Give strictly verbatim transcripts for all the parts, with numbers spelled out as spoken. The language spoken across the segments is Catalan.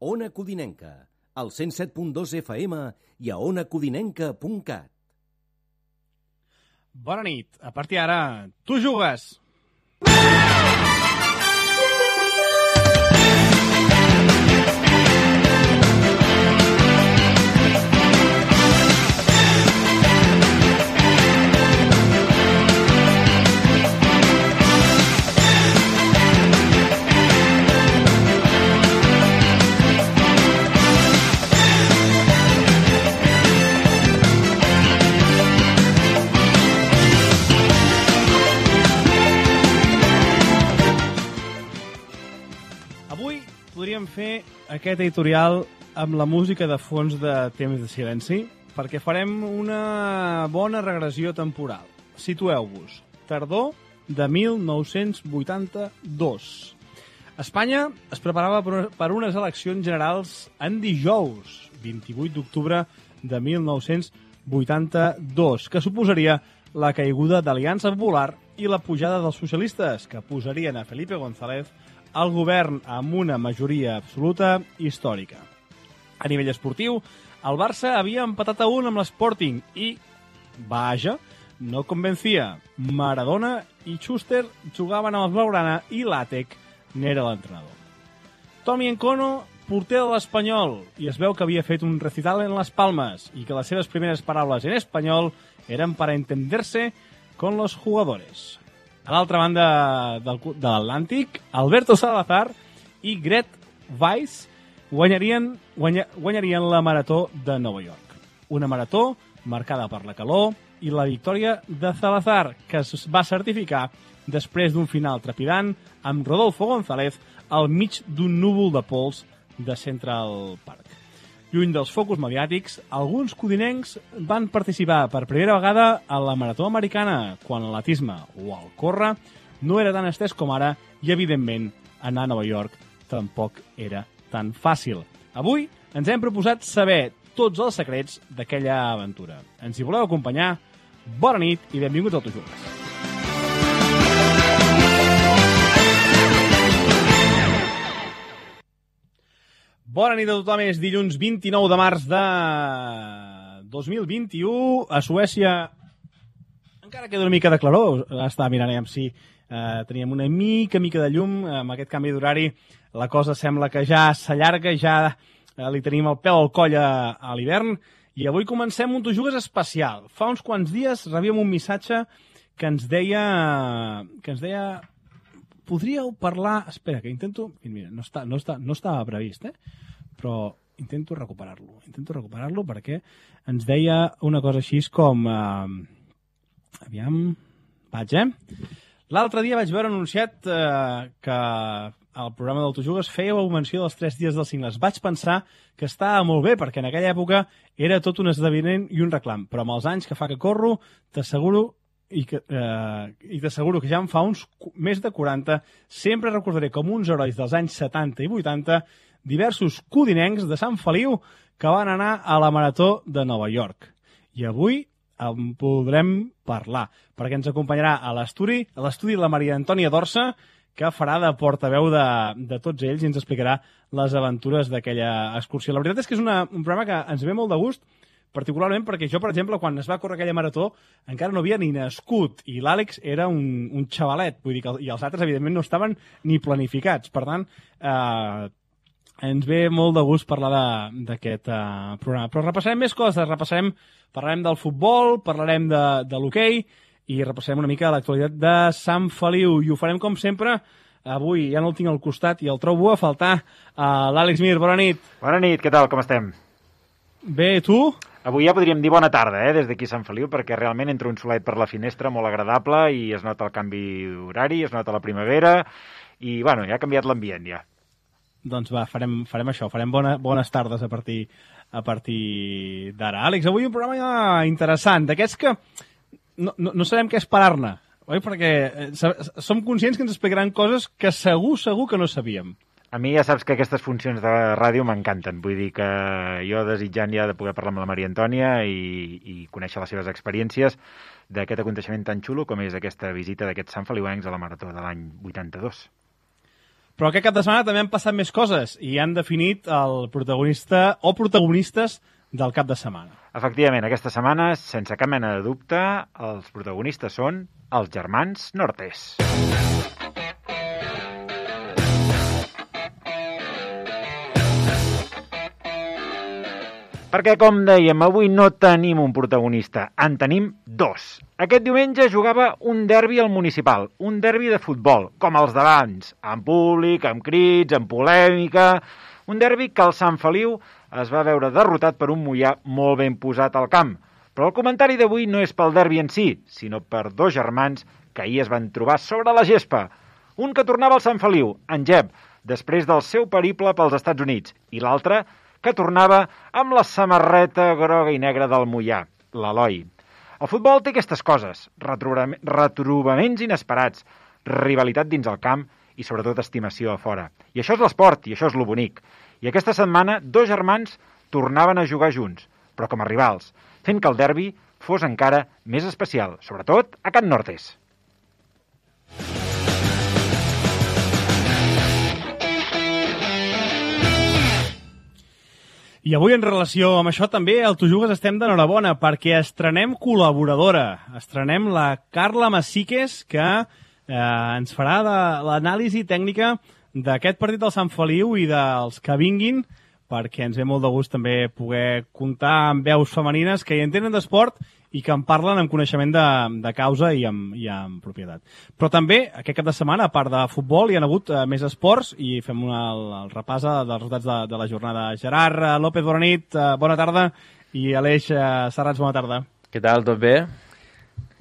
Ona Codinenca, al cent set punt dos F M i a ona codinenca punt cat. Bona nit. A partir d'ara, tu jugues! Podríem fer aquest editorial amb la música de fons de Temps de Silenci, perquè farem una bona regressió temporal. Situeu-vos. Tardor de mil nou-cents vuitanta-dos. Espanya es preparava per unes eleccions generals en dijous, vint-i-vuit d'octubre de mil nou-cents vuitanta-dos, que suposaria la caiguda d'Aliança Popular i la pujada dels socialistes, que posarien a Felipe González al govern amb una majoria absoluta històrica. A nivell esportiu, el Barça havia empatat a un amb l'Sporting i, vaja, no convencia. Maradona i Schuster jugaven amb els Blaugrana i Latec n'era l'entrenador. Tommy Encono, porter de l'Espanyol, i es veu que havia fet un recital en les Palmes i que les seves primeres paraules en espanyol eren para entenderse con los jugadores. A l'altra banda del, de l'Atlàntic, Alberto Salazar i Gret Weiss guanyarien, guanya, guanyarien la Marató de Nova York. Una marató marcada per la calor i la victòria de Salazar, que es va certificar després d'un final trepidant amb Rodolfo González al mig d'un núvol de pols de Central Park. Lluny dels focus mediàtics, alguns codinencs van participar per primera vegada a la Marató Americana, quan l'atletisme o el córrer no era tan estès com ara i, evidentment, anar a Nova York tampoc era tan fàcil. Avui ens hem proposat saber tots els secrets d'aquella aventura. Ens hi voleu acompanyar? Bona nit i benvinguts al Tu Jugues. Bona nit a tothom, és dilluns vint-i-nou de març de dos mil vint-i-u. A Suècia encara queda una mica de claror. Estava mirant amb si eh, teníem una mica, mica de llum. Amb aquest canvi d'horari la cosa sembla que ja s'allarga, ja eh, li tenim el pèl al coll a, a l'hivern. I avui comencem un Tu Jugues especial. Fa uns quants dies rebíem un missatge que ens deia... que ens deia... Podríeu parlar... Espera, que intento... Mira, no, està, no, està, no estava previst, eh? Però intento recuperar-lo. Intento recuperar-lo perquè ens deia una cosa així com... Eh... Aviam... Vaig, eh? L'altre dia vaig veure anunciat eh, que al programa del Tu Jugues fèieu menció dels tres dies dels cingles. Vaig pensar que estava molt bé, perquè en aquella època era tot un esdeveniment i un reclam. Però amb els anys que fa que corro, t'asseguro... i que eh, i t'asseguro que ja en fa uns més de quaranta, sempre recordaré com uns herois dels anys setanta i vuitanta diversos codinencs de Sant Feliu que van anar a la Marató de Nova York. I avui en podrem parlar, perquè ens acompanyarà a l'estudi a l'estudi la Maria Antònia Dorsa, que farà de portaveu de, de tots ells i ens explicarà les aventures d'aquella excursió. La veritat és que és una, un programa que ens ve molt de gust, particularment perquè jo, per exemple, quan es va córrer aquella marató, encara no havia ni nascut, i l'Àlex era un, un xavalet, vull dir que, i els altres, evidentment, no estaven ni planificats. Per tant, eh, ens ve molt de gust parlar d'aquest eh, programa. Però repassarem més coses, repassarem, parlarem del futbol, parlarem de, de l'hoquei, i repassarem una mica l'actualitat de Sant Feliu, i ho farem com sempre. Avui ja no el tinc al costat i el trobo a faltar. Uh, L'Àlex Mir, bona nit. Bona nit, què tal, com estem? Bé, tu? Avui ja podríem dir bona tarda, eh, des d'aquí a Sant Feliu, perquè realment entra un solet per la finestra molt agradable i es nota el canvi d'horari, es nota la primavera i, bueno, ja ha canviat l'ambient, ja. Doncs va, farem, farem això, farem bona, bones tardes a partir, a partir d'ara. Àlex, avui un programa interessant, d'aquests que no, no, no sabem què esperar-ne, oi? Perquè som conscients que ens explicaran coses que segur, segur que no sabíem. A mi ja saps que aquestes funcions de ràdio m'encanten. Vull dir que jo desitjant ja de poder parlar amb la Maria Antònia i, i conèixer les seves experiències d'aquest aconteixement tan xulo com és aquesta visita d'aquests santfeliuencs a la Marató de l'any vuitanta-dos. Però aquest cap de setmana també han passat més coses i han definit el protagonista o protagonistes del cap de setmana. Efectivament, aquesta setmana, sense cap mena de dubte, els protagonistes són els germans Nortes. Perquè, com dèiem, avui no tenim un protagonista, en tenim dos. Aquest diumenge jugava un derbi al Municipal, un derbi de futbol, com els d'abans, amb públic, amb crits, amb polèmica... Un derbi que el Sant Feliu es va veure derrotat per un Moià molt ben posat al camp. Però el comentari d'avui no és pel derbi en si, sinó per dos germans que ahir es van trobar sobre la gespa. Un que tornava al Sant Feliu, en Jep, després del seu periple pels Estats Units, i l'altre que tornava amb la samarreta groga i negra del Moià, l'Eloi. El futbol té aquestes coses, retrobaments inesperats, rivalitat dins el camp i sobretot estimació a fora. I això és l'esport, i això és lo bonic. I aquesta setmana dos germans tornaven a jugar junts, però com a rivals, fent que el derbi fos encara més especial, sobretot a Can Nortes. I avui, en relació amb això, també al Tu Jugues estem d'enhorabona, perquè estrenem col·laboradora. Estrenem la Carla Massiques, que eh, ens farà de l'anàlisi tècnica d'aquest partit del Sant Feliu i dels que vinguin, perquè ens ve molt de gust també poder comptar amb veus femenines que hi entenen d'esport i que en parlen amb coneixement de, de causa i amb, i amb propietat. Però també, aquest cap de setmana, a part de futbol, hi ha hagut uh, més esports i fem una, el, el repàs dels resultats de, de la jornada. Gerard uh, López, bona nit, uh, bona tarda, i Aleix uh, Serrats, bona tarda. Què tal, tot bé?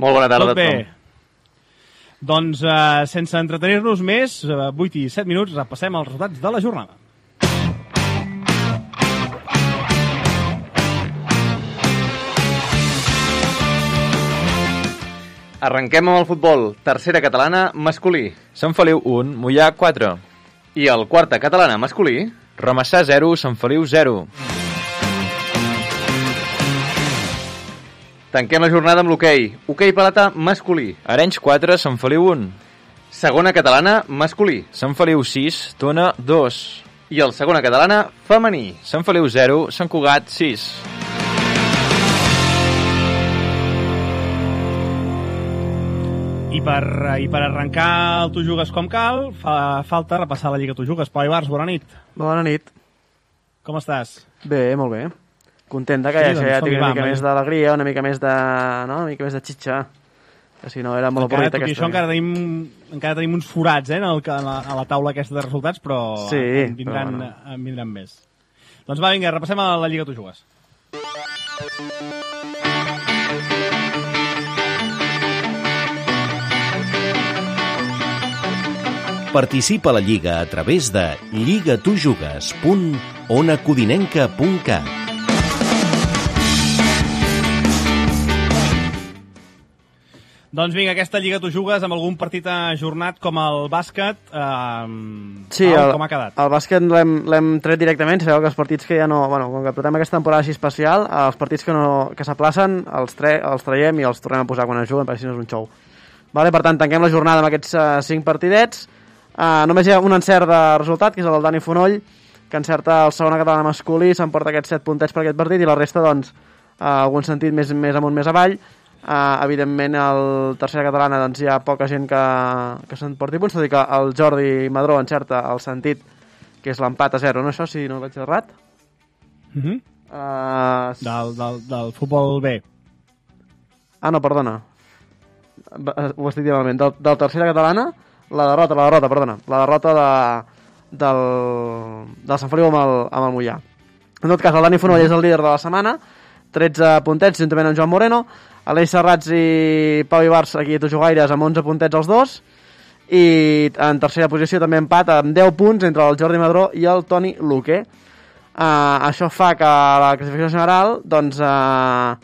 Molt bona tarda tot a tothom. Doncs, uh, sense entretenir-nos més, uh, vuit i set minuts, repassem els resultats de la jornada. Arrenquem amb el futbol. Tercera catalana, masculí. Sant Feliu un, Moià quatre. I el quarta catalana, masculí. Ramassà zero, Sant Feliu zero. Tanquem la jornada amb l'hoquei. Hoquei paleta, masculí. Arenys quatre, Sant Feliu un. Segona catalana, masculí. Sant Feliu sis, Tona dos. I el segona catalana, femení. Sant Feliu zero, Sant Cugat sis. I per, I per arrencar el Tu Jugues com cal, fa falta repassar la Lliga Tu Jugues. Pau Ibars, bona nit. Bona nit. Com estàs? Bé, molt bé. Content que sí, ja, doncs, ja tingui una mica va, més d'alegria, una mica més de... no? Una mica més de xitxa. Que si no era molt encara, avorrit aquesta. Això encara tenim, encara tenim uns forats eh, en el, a, la, a la taula aquesta de resultats, però sí, en, vindran, però bueno. en vindran més. Doncs va, vinga, repassem a la Lliga Tu Jugues. Participa a la Lliga a través de lligatujugues punt onacodinenca punt cat. Doncs vinga, aquesta Lliga Tu Jugues amb algun partit ajornat com el bàsquet. Eh, sí, Pau, el, com ha quedat? El bàsquet l'hem tret directament. Sabeu que els partits que ja no... Bueno, com que portem aquesta temporada així especial, els partits que, no, que s'aplacen els, tre, els traiem i els tornem a posar quan es juguen, perquè si no és un xou. Vale, per tant, tanquem la jornada amb aquests uh, cinc partidets. Uh, només hi ha un encert de resultat, que és el del Dani Fonoll, que encerta el segona catalana masculí, s'emporta aquests set puntets per aquest partit, i la resta, doncs, uh, algun sentit més, més amunt, més avall. Uh, evidentment, el tercera catalana, doncs, hi ha poca gent que, que s'emporti punts, tot i que el Jordi Madró encerta el sentit, que és l'empat a zero, no això, si no vaig errat? Mm -hmm. uh, del, del, del futbol B. Ah, no, perdona. Ho estic dient malament. Del, del tercera catalana, la derrota, la derrota, perdona. La derrota de, del, del Sant Feliu amb el, amb el Moià. En tot cas, el Dani Fonoll és el líder de la setmana, tretze puntets, juntament amb Joan Moreno, Aleix Serrats i Pau Ibars, aquí a Tu Jugaires, amb onze puntets els dos, i en tercera posició també empat amb deu punts entre el Jordi Madró i el Toni Luque. Uh, això fa que la classificació general, doncs, uh,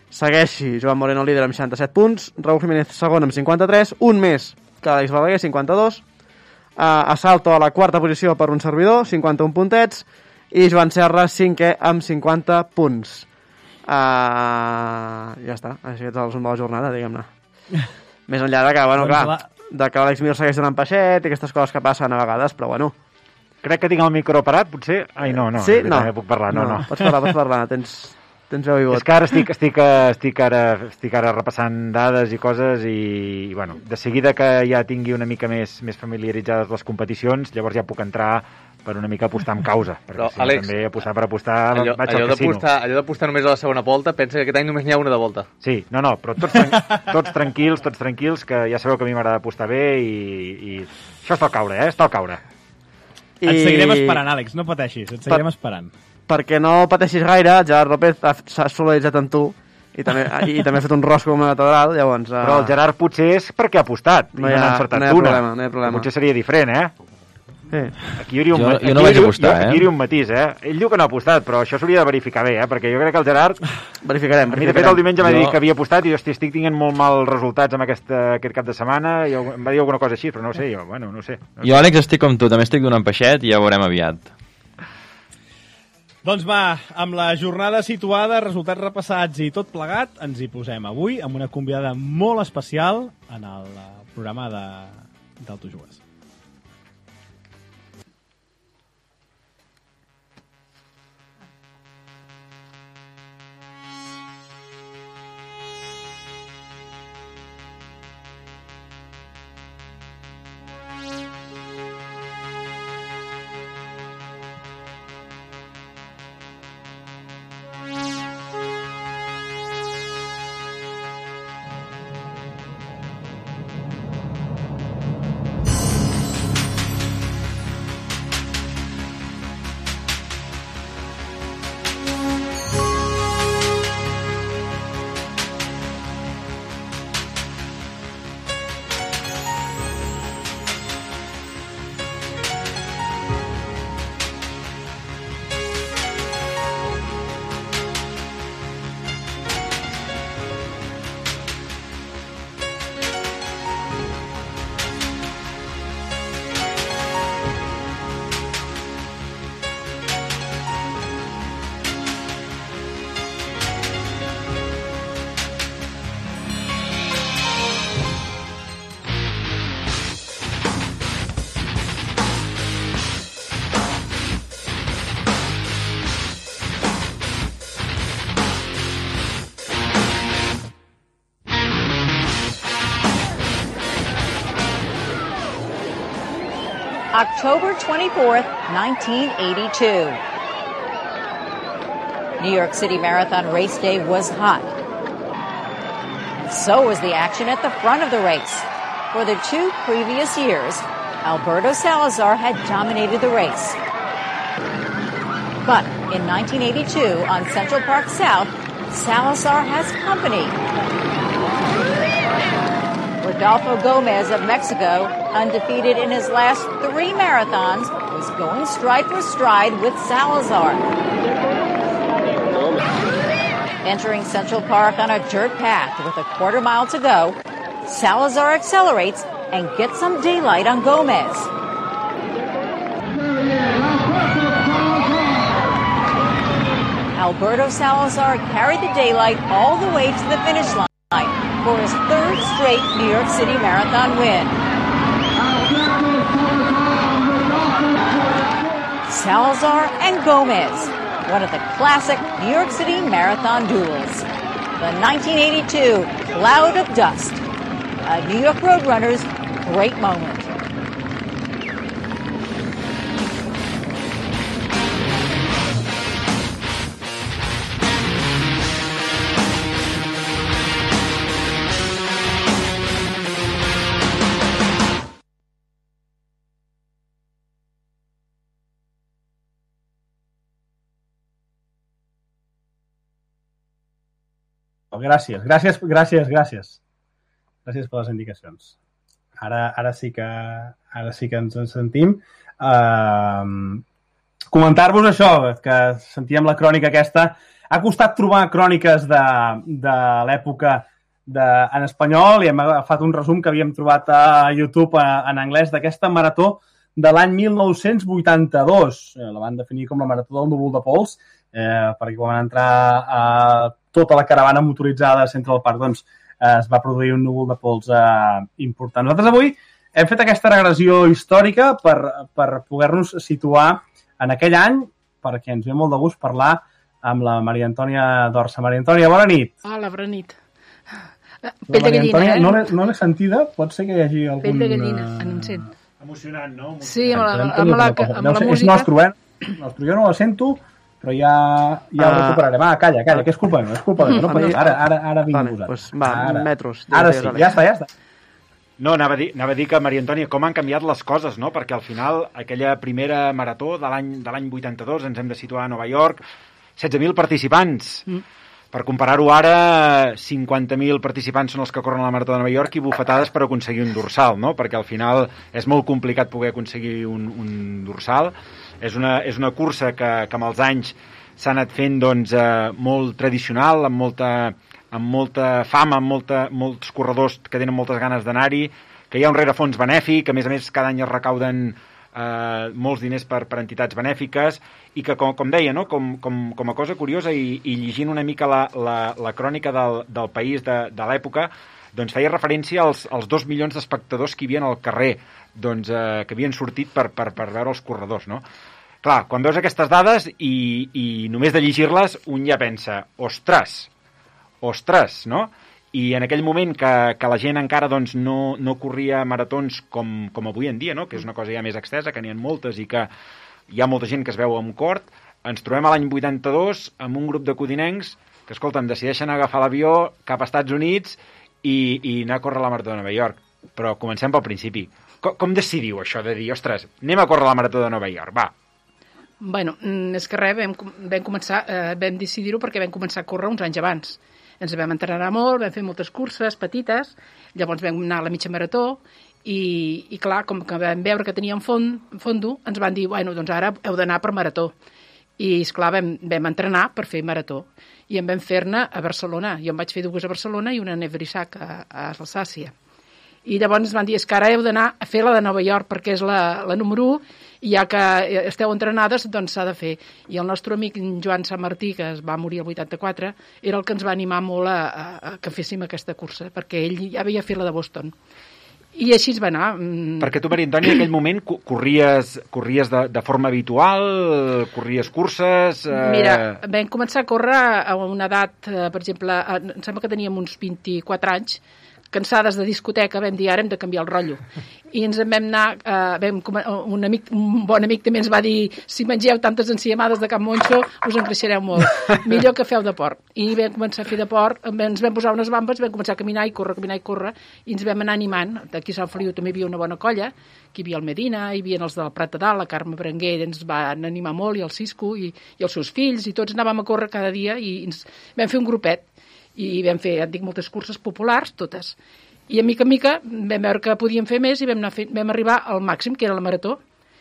segueixi Joan Moreno líder amb seixanta-set punts, Raúl Jiménez segon amb cinquanta-tres, un més que Àlex Balaguer, cinquanta-dos, uh, Assalto a la quarta posició per un servidor, cinquanta-un puntets, i Joan Serra cinquè amb cinquanta punts. Uh, ja està, així és el resum de la jornada, diguem-ne. Més enllà de que, bueno, doncs clar, la... de que l'Àlex Mir segueix donant peixet i aquestes coses que passen a vegades, però bueno. Crec que tinc el micro parat, potser? Ai, no, no, sí? no. també puc parlar, no, no. no. Pots parlar, pots parlar, tens, tens veu i vot. És que ara estic, estic, estic, ara, estic ara repassant dades i coses i, i, bueno, de seguida que ja tingui una mica més, més familiaritzades les competicions, llavors ja puc entrar per una mica apostar amb causa, perquè Però, si no, Àlex, també apostar per apostar allò, vaig allò al casino. allò d'apostar només a la segona volta, pensa que aquest any només n'hi ha una de volta. Sí, no, no, però tots, tran tots tranquils, tots tranquils, que ja sabeu que a mi m'agrada apostar bé i, i això està al caure, eh? Està al caure. I... Et seguirem esperant, Àlex, no pateixis, et seguirem per... esperant. Perquè no pateixis gaire, Gerard López s'ha solidaritzat amb tu i també, i també ha fet un rosco com una catedral, llavors... Uh... Però el Gerard potser és perquè ha apostat no i hi ha, no n'ha encertat no hi ha una. problema, no hi ha problema. Potser seria diferent, eh? Sí. Aquí hi hauria un, jo, aquí jo no vaig apostar, jo, eh? Aquí hi hauria un matís, eh? Ell diu que no ha apostat, però això s'hauria de verificar bé, eh? Perquè jo crec que el Gerard... Verificarem, A mi, de fet, el diumenge m'ha jo... dit que havia apostat i, hosti, estic tinguent molt mal resultats amb aquest, aquest cap de setmana i em va dir alguna cosa així, però no ho sé, jo, bueno, no ho sé. No jo, Àlex, estic com tu, també estic donant peixet i ja ho veurem aviat. Doncs va, amb la jornada situada, resultats repassats i tot plegat, ens hi posem avui amb una convidada molt especial en el programa de, del Tu Jugues. October twenty-fourth, nineteen eighty-two. New York City Marathon race day was hot. And so was the action at the front of the race. For the two previous years, Alberto Salazar had dominated the race. But in nineteen eighty-two, on Central Park South, Salazar has company. Rodolfo Gomez of Mexico, undefeated in his last three marathons, was going stride for stride with Salazar. Entering Central Park on a dirt path with a quarter mile to go, Salazar accelerates and gets some daylight on Gomez. Alberto Salazar carried the daylight all the way to the finish line for his third straight New York City Marathon win. Salazar and Gomez, one of the classic New York City Marathon duels. The nineteen eighty-two Cloud of Dust, a New York Roadrunner's great moment. Gràcies, gràcies, gràcies, gràcies. Gràcies per les indicacions. Ara, ara, sí, que, ara sí que ens en sentim. Uh, Comentar-vos això, que sentíem la crònica aquesta. Ha costat trobar cròniques de, de l'època en espanyol i hem agafat un resum que havíem trobat a YouTube en anglès d'aquesta marató de l'any mil nou-cents vuitanta-dos. La van definir com la marató del núvol de pols, eh, perquè quan van entrar a tota la caravana motoritzada a Central Park, doncs eh, es va produir un núvol de pols eh, important. Nosaltres avui hem fet aquesta regressió històrica per, per poder-nos situar en aquell any, perquè ens ve molt de gust parlar amb la Maria Antònia Dorsa. Maria Antònia, bona nit. Hola, bona nit. Pell de gallina, Antònia, eh? No l'he, no l'he sentida, pot ser que hi hagi algun... Pell de gallina, en un sent. Emocionant, no? Emocionant. Sí, amb la, amb la, amb la, amb la música. És nostre, eh? Nostre, jo no la sento, però ja, ja ho recuperarem. Ah, calla, calla, que és culpa meva, és culpa meva. No, ara, ara, ara vinc vale, posat. Pues va, ara. metros. Ara sí, ja està, ja està. No, anava a, dir, anava a dir que, Maria Antònia, com han canviat les coses, no? Perquè al final, aquella primera marató de l'any de l'any vuitanta-dos, ens hem de situar a Nova York, setze mil participants. Mm. Per comparar-ho ara, cinquanta mil participants són els que corren a la Marató de Nova York i bufetades per aconseguir un dorsal, no? Perquè al final és molt complicat poder aconseguir un, un dorsal. És una, és una cursa que, que amb els anys s'ha anat fent doncs, eh, molt tradicional, amb molta, amb molta fama, amb molta, molts corredors que tenen moltes ganes d'anar-hi, que hi ha un rerefons benèfic, a més a més cada any es recauden eh, molts diners per, per entitats benèfiques, i que, com, com deia, no? com, com, com a cosa curiosa, i, i llegint una mica la, la, la crònica del, del país de, de l'època, doncs feia referència als, als dos milions d'espectadors que hi havia al carrer, doncs, eh, que havien sortit per, per, per veure els corredors, no? Clar, quan veus aquestes dades i, i només de llegir-les, un ja pensa, ostres, ostres, no? I en aquell moment que, que la gent encara doncs, no, no corria maratons com, com avui en dia, no? Que és una cosa ja més extensa, que n'hi ha moltes i que hi ha molta gent que es veu amb cort, ens trobem a l'any vuitanta-dos amb un grup de codinencs que, escolta'm, decideixen agafar l'avió cap als Estats Units i, i anar a córrer la Marató de Nova York. Però comencem pel principi. Com, com decidiu això de dir, ostres, anem a córrer la Marató de Nova York, va? Bueno, és que res, vam, vam començar, eh, vam decidir-ho perquè vam començar a córrer uns anys abans. Ens vam entrenar molt, vam fer moltes curses petites, llavors vam anar a la mitja marató i, i clar, com que vam veure que teníem fond, fondo, ens van dir, bueno, doncs ara heu d'anar per marató. I, esclar, vam, vam entrenar per fer marató. I en vam fer-ne a Barcelona. Jo en vaig fer dues a Barcelona i una a Nebrissac, a, a Alsàcia. I llavors ens van dir, és que ara heu d'anar a fer la de Nova York perquè és la, la número u i ja que esteu entrenades, doncs s'ha de fer. I el nostre amic Joan Sant Martí, que es va morir el vuitanta-quatre, era el que ens va animar molt a, a, a que féssim aquesta cursa, perquè ell ja havia fet la de Boston. I així es va anar. Perquè tu, Maria Antònia, en aquell moment corries, corries de, de forma habitual, corries curses... Eh... Mira, vam començar a córrer a una edat, per exemple, em sembla que teníem uns vint-i-quatre anys, cansades de discoteca, vam dir, ara hem de canviar el rotllo. I ens en vam anar, eh, vam, un, amic, un bon amic també ens va dir, si mengeu tantes enciamades de Can Monxo, us en creixereu molt. Millor que feu deport. I vam començar a fer deport, ens vam posar unes bambes, vam començar a caminar i córrer, caminar i córrer, i ens vam anar animant. Aquí a Sant Feliu també hi havia una bona colla, que hi havia el Medina, hi havia els del Prat de Dalt, la Carme Berenguer ens van animar molt, i el Cisco, i, i els seus fills, i tots anàvem a córrer cada dia, i ens vam fer un grupet. I vam fer, et dic, moltes curses populars, totes. I a mica en mica vam veure que podíem fer més i vam, anar fent, vam arribar al màxim, que era la marató.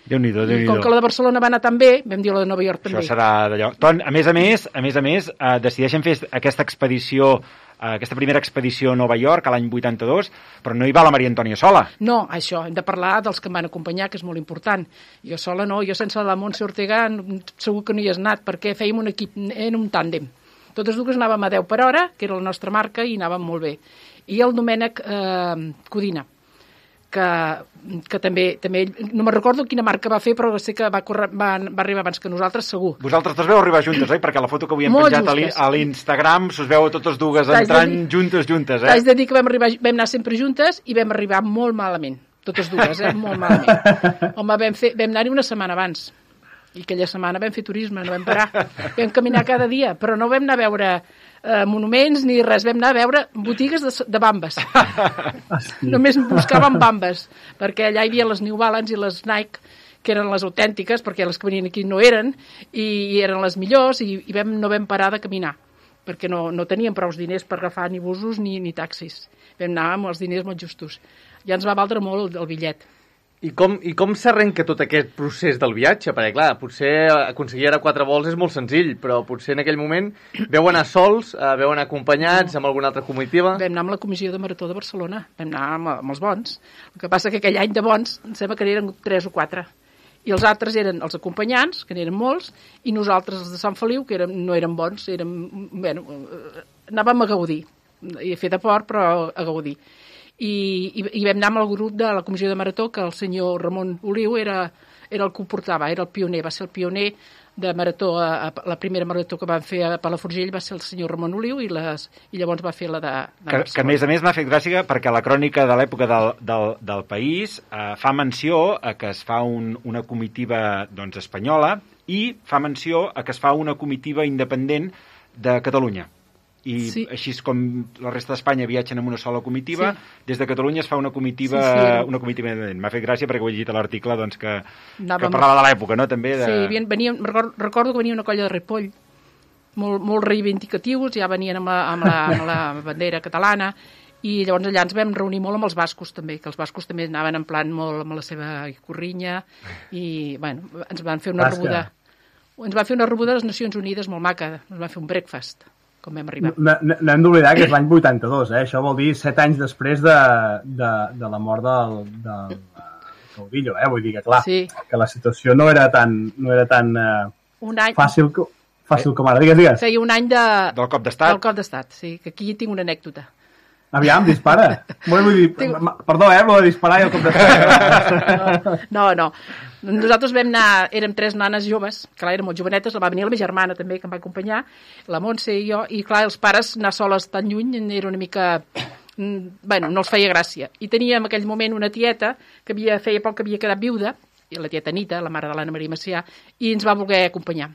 Déu-n'hi-do, Déu-n'hi-do. I com que la de Barcelona va anar tan bé, vam dir la de Nova York també. Això serà d'allò. Ton, a més a més, a més a més, eh, decideixen fer aquesta expedició, eh, aquesta primera expedició a Nova York a l'any vuitanta-dos, però no hi va la Maria Antònia sola. No, això, hem de parlar dels que em van acompanyar, que és molt important. Jo sola no, jo sense la Montse Ortega segur que no hi has anat, perquè fèiem un equip en un tàndem. Totes dues anàvem a deu per hora, que era la nostra marca, i anàvem molt bé. I el Domènec eh, Codina, que, que també, també, no me recordo quina marca va fer, però sé que va, córrer, va, va arribar abans que nosaltres, segur. Vosaltres dos veu arribar juntes, oi? Perquè la foto que avui hem penjat a l'Instagram s'us veu totes dues entrant dir, juntes, juntes, eh? T'haig de dir que vam, arribar, vam anar sempre juntes i vam arribar molt malament, totes dues, eh? Molt malament. Home, vam, fer, vam anar-hi una setmana abans. I aquella setmana vam fer turisme, no vam parar. Vam caminar cada dia, però no vam anar a veure eh, monuments ni res, vam anar a veure botigues de, de bambes. Només buscàvem bambes, perquè allà hi havia les New Balance i les Nike, que eren les autèntiques, perquè les que venien aquí no eren, i eren les millors, i, i vam, no vam parar de caminar, perquè no, no teníem prou diners per agafar ni busos ni, ni taxis. Vam anar amb els diners molt justos. Ja ens va valdre molt el, el bitllet. I com, i com s'arrenca tot aquest procés del viatge? Perquè, clar, potser aconseguir ara quatre vols és molt senzill, però potser en aquell moment veu anar sols, eh, veu anar acompanyats amb alguna altra comitiva? Vam anar amb la comissió de Marató de Barcelona, vam anar amb, amb els bons. El que passa que aquell any de bons, em sembla que eren tres o quatre. I els altres eren els acompanyants, que n'eren molts, i nosaltres, els de Sant Feliu, que érem, no eren bons, érem, bueno, anàvem a gaudir. i a fer de port, però a gaudir. I, i, i vam anar amb el grup de la comissió de marató, que el senyor Ramon Oliu era, era el que ho portava, era el pioner, va ser el pioner de marató, a, a, la primera marató que van fer a Palafrugell va ser el senyor Ramon Oliu i, les, i llavors va fer la de, de que, que a més a més m'ha fet gràcia perquè la crònica de l'època del, del, del País eh, fa menció a que es fa un, una comitiva doncs, espanyola i fa menció a que es fa una comitiva independent de Catalunya. I sí. Així com la resta d'Espanya viatgen en una sola comitiva, sí. Des de Catalunya es fa una comitiva, sí, sí. Una comitiva independent. M'ha fet gràcia perquè ho he llegit a l'article doncs, que, que parlava de l'època, no? També de... Sí, venien, recordo que venia una colla de Ripoll, molt, molt reivindicatius, ja venien amb la, amb, la, amb la bandera catalana, i llavors allà ens vam reunir molt amb els bascos també, que els bascos també anaven en plan molt amb la seva corrinya, i bueno, ens van fer una Basca. rebuda ens van fer una rebuda a les Nacions Unides molt maca, ens van fer un breakfast com vam arribar. No, no, no hem d'oblidar que és l'any vuitanta-dos, eh? Això vol dir set anys després de, de, de la mort del, del Caudillo, eh? Vull dir que, clar, sí. Que la situació no era tan, no era tan uh, un any... fàcil, fàcil com ara. Digues, digues. Feia un any de... del cop d'estat. Del cop d'estat, sí, que aquí tinc una anècdota. Aviam, dispara. Vull dir, Tinc... Perdó, eh, lo de disparar i el cop d'estat. No, no. Nosaltres vam anar, érem tres nanes joves, clar, érem molt jovenetes, va venir la meva germana també, que em va acompanyar, la Montse i jo, i clar, els pares anar soles tan lluny era una mica... Bueno, no els feia gràcia. I teníem en aquell moment una tieta que havia, feia poc que havia quedat viuda, i la tieta Anita, la mare de l'Anna Maria Macià, i ens va voler acompanyar.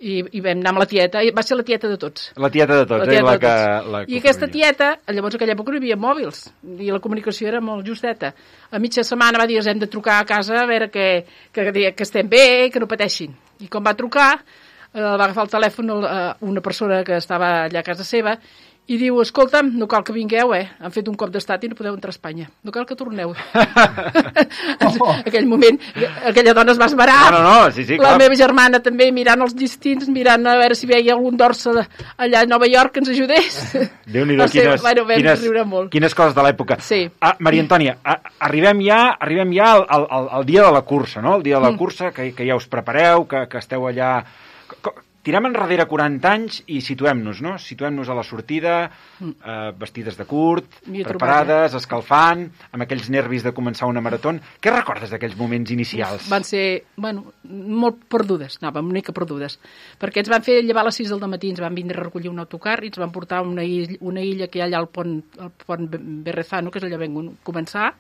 I, i vam anar amb la tieta, i va ser la tieta de tots. La tieta de tots, la tieta eh? La de tots. Que, la I aquesta tieta, llavors en aquella època no hi havia mòbils, i la comunicació era molt justeta. A mitja setmana va dir, hem de trucar a casa a veure que, que, que estem bé, que no pateixin. I quan va trucar, eh, va agafar el telèfon eh, una persona que estava allà a casa seva, i diu, escolta'm, no cal que vingueu, eh? Han fet un cop d'estat i no podeu entrar a Espanya. No cal que torneu. Oh. Aquell moment, aquella dona es va esmerar. No, no, no, sí, sí, la clar. meva germana també, mirant els distints, mirant a veure si veia algun dorsa allà a Nova York que ens ajudés. Déu-n'hi-do, quines, bueno, quines, molt. quines coses de l'època. Sí. Ah, Maria Antònia, ah, arribem ja, arribem ja al, al, al dia de la cursa, no? El dia de la mm. cursa, que, que ja us prepareu, que, que esteu allà... Tirem enrere quaranta anys i situem-nos, no? Situem-nos a la sortida, eh, vestides de curt, preparades, escalfant, amb aquells nervis de començar una marató. Què recordes d'aquells moments inicials? Van ser, bueno, molt perdudes, anàvem una mica perdudes, perquè ens van fer llevar a les sis del matí, ens van vindre a recollir un autocar i ens van portar a una illa, una illa que hi ha allà al pont, al pont Berrezano, que és allà vam començar,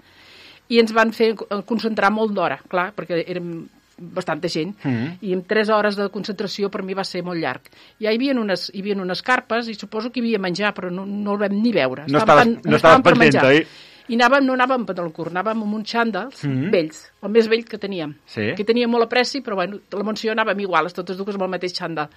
i ens van fer concentrar molt d'hora, clar, perquè érem bastanta gent, mm. i amb tres hores de concentració per mi va ser molt llarg. I hi havia unes, hi havia unes carpes i suposo que hi havia menjar, però no, no el vam ni veure. No estaves, tan, no estaves pendent, oi? I anàvem, no anàvem amb pantaló curt, anàvem amb uns xàndals mm. vells, el més vell que teníem. Sí. Que tenia molt a pressi, però bueno, la Montsió anàvem iguales, totes dues amb el mateix xàndal.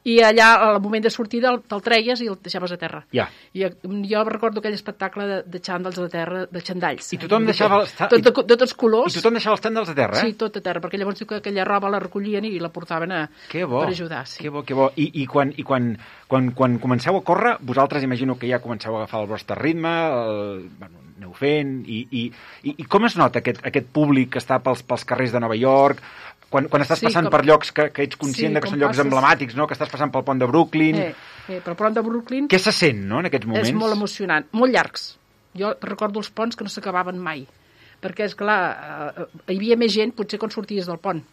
I allà, al moment de sortida, te'l treies i el deixaves a terra. Ja. I jo recordo aquell espectacle de, de xàndals a terra, de xandalls. I tothom deixava... Els tot, de, de tots colors. I tothom deixava els xàndals a terra, eh? Sí, tot a terra, perquè llavors diu que aquella roba la recollien i la portaven a, per ajudar. Sí. Que bo, que bo. I, i, quan, i quan, quan, quan comenceu a córrer, vosaltres imagino que ja comenceu a agafar el vostre ritme, el, bueno, aneu fent, i, i, i, i com es nota aquest, aquest públic que està pels, pels carrers de Nova York... Quan, quan estàs sí, passant com... per llocs que, que ets conscient sí, de que són llocs passes... emblemàtics, no? Que estàs passant pel pont de Brooklyn... Eh, eh, pel pont de Brooklyn... Què se sent, no?, en aquests moments? És molt emocionant, molt llargs. Jo recordo els ponts que no s'acabaven mai, perquè, és clar, eh, hi havia més gent, potser quan sorties del pont.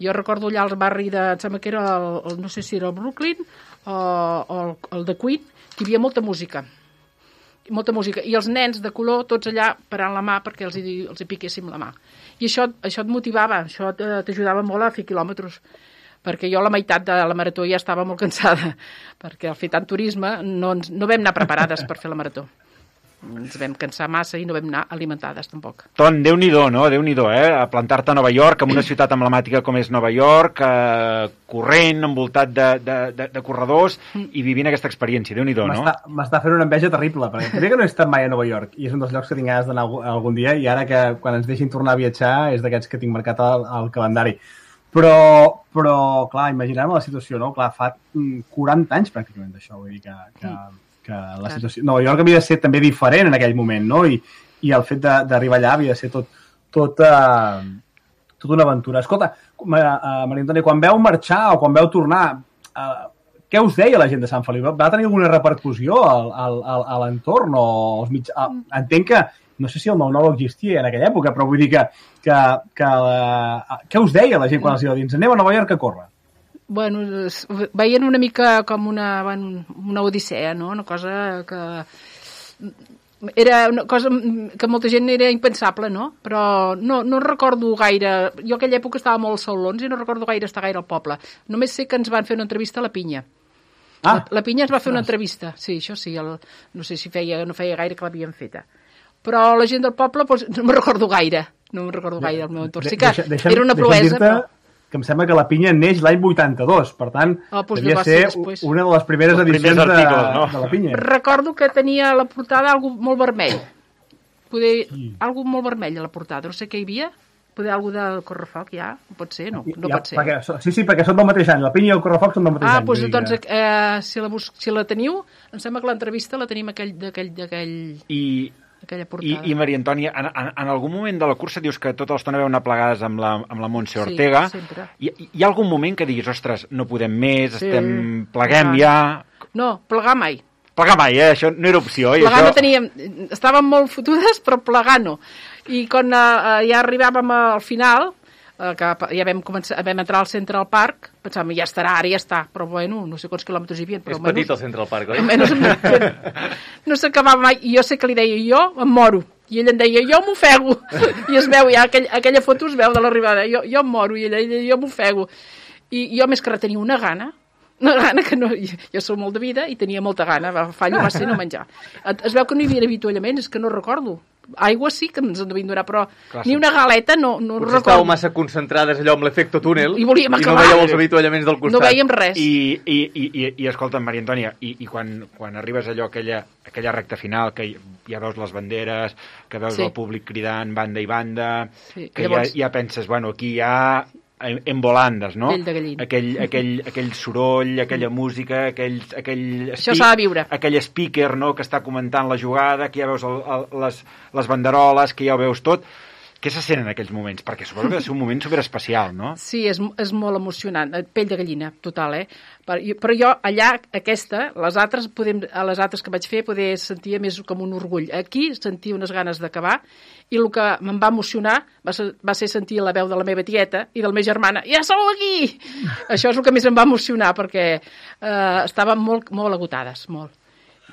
Jo recordo allà al barri de... Em sembla que era, el, el, no sé si era el Brooklyn o, o el, el de Queen, que hi havia molta música. molta música, i els nens de color tots allà parant la mà perquè els hi, els hi piquéssim la mà. I això, això et motivava, això t'ajudava molt a fer quilòmetres, perquè jo la meitat de la marató ja estava molt cansada, perquè al fer tant turisme no, ens, no vam anar preparades per fer la marató. Ens vam cansar massa i no vam anar alimentades tampoc. Ton, Déu-n'hi-do, no? Déu-n'hi-do, eh? A plantar-te a Nova York, en una ciutat emblemàtica com és Nova York, eh, corrent, envoltat de, de, de, de corredors, i vivint aquesta experiència. Déu-n'hi-do, no? M'està fent una enveja terrible, perquè crec que no he estat mai a Nova York, i és un dels llocs que tinc ganes d'anar algun dia, i ara que quan ens deixin tornar a viatjar és d'aquests que tinc marcat al, al calendari. Però, però, clar, imaginem la situació, no? Clar, fa quaranta anys pràcticament d'això, vull dir que... que... que la situació... Nova York havia de ser també diferent en aquell moment, no? I, i el fet d'arribar allà havia de ser tot, tot, uh, tot una aventura. Escolta, Maria Antònia, quan veu marxar o quan veu tornar, uh, què us deia la gent de Sant Feliu? Va tenir alguna repercussió al, al, al, a l'entorn? O els mig... Entenc que, no sé si el nou nou existia en aquella època, però vull dir que, que, que uh, què us deia la gent quan els iba dins? Aneu a Nova York a córrer. Bueno, veien una mica com una, bueno, una odissea, no? Una cosa que... Era una cosa que molta gent era impensable, no? Però no, no recordo gaire... Jo aquella època estava molt als salons i no recordo gaire estar gaire al poble. Només sé que ens van fer una entrevista a la Pinya. Ah, la, la Pinya ens va fer una entrevista. Sí, això sí. El, no sé si feia, no feia gaire que l'havien feta. Però la gent del poble doncs, no me'n recordo gaire. No me'n recordo gaire el meu entorn. Sí que deixa'm, era una proesa, però... que em sembla que la Pinya neix l'any vuitanta-dos, per tant, oh, doncs devia ser després. Una de les primeres els edicions primers articles, de, no? de la Pinya. Recordo que tenia a la portada algo molt vermell. Poder, sí. Algo molt vermell a la portada. No sé què hi havia. Poder algo del Correfoc, ja? Pot ser? No, no ja, pot ser. Perquè, sí, sí, perquè són del mateix any. La Pinya i el Correfoc són del mateix ah, any. Ah, doncs, doncs eh, si, la bus si la teniu, em sembla que l'entrevista la tenim d'aquell... I... I, I Maria Antònia, en, en, en algun moment de la cursa dius que tota l'estona veu anar plegades amb la, amb la Montse Ortega. Sí, sempre. Hi, hi ha algun moment que diguis, ostres, no podem més, sí, estem, pleguem ja... No, plegar mai. Plegar mai, eh? Això no era opció. Plegar això... no teníem... Estàvem molt fotudes, però plegar no. I quan eh, ja arribàvem al final, eh, que ja vam, començar, vam entrar al Central Park, pensàvem, ja estarà, ara ja està. Però bueno, no sé quants quilòmetres hi havia. Però és petit menys, el Central Park, oi? Almenys, no s'acabava mai. I jo sé que li deia, jo em moro. I ell em deia, jo m'ofego. I es veu, ja aquell, aquella foto es veu de l'arribada. Jo, jo em moro. I ell deia, jo m'ofego. I jo més que res tenia una gana, una gana que no... Jo soc molt de vida i tenia molta gana. Fallo va ser no menjar. Es veu que no hi havia avituallaments, és que no recordo. Aigua sí que ens en devien donar, però clar, ni una galeta no, no potser recordo. Estàveu massa concentrades allò amb l'efecte túnel i, volíem i no veieu els avituallaments del costat. No veiem res. I, i, i, i, i escolta'm, Maria Antònia, i, i quan, quan arribes allò, aquella, aquella recta final, que ja veus les banderes, que veus sí. el públic cridant banda i banda, sí. que Llavors... ja, ja penses, bueno, aquí hi ha en volandes, no? Aquell, aquell, aquell soroll, aquella música, aquell, aquell, això s'ha de viure. Aquell speaker, no?, que està comentant la jugada, que ja veus el, el, les, les banderoles, que ja ho veus tot. Què se sent en aquells moments? Perquè suposo que ha de ser un moment superespecial, no? Sí, és, és molt emocionant. Pell de gallina, total, eh? Però jo, allà, aquesta, les altres, podem, a les altres que vaig fer, poder sentir més com un orgull. Aquí sentia unes ganes d'acabar i el que em va emocionar va ser, va ser sentir la veu de la meva tieta i de la meva germana. Ja sou aquí! Això és el que més em va emocionar, perquè eh, estàvem molt, molt agotades, molt.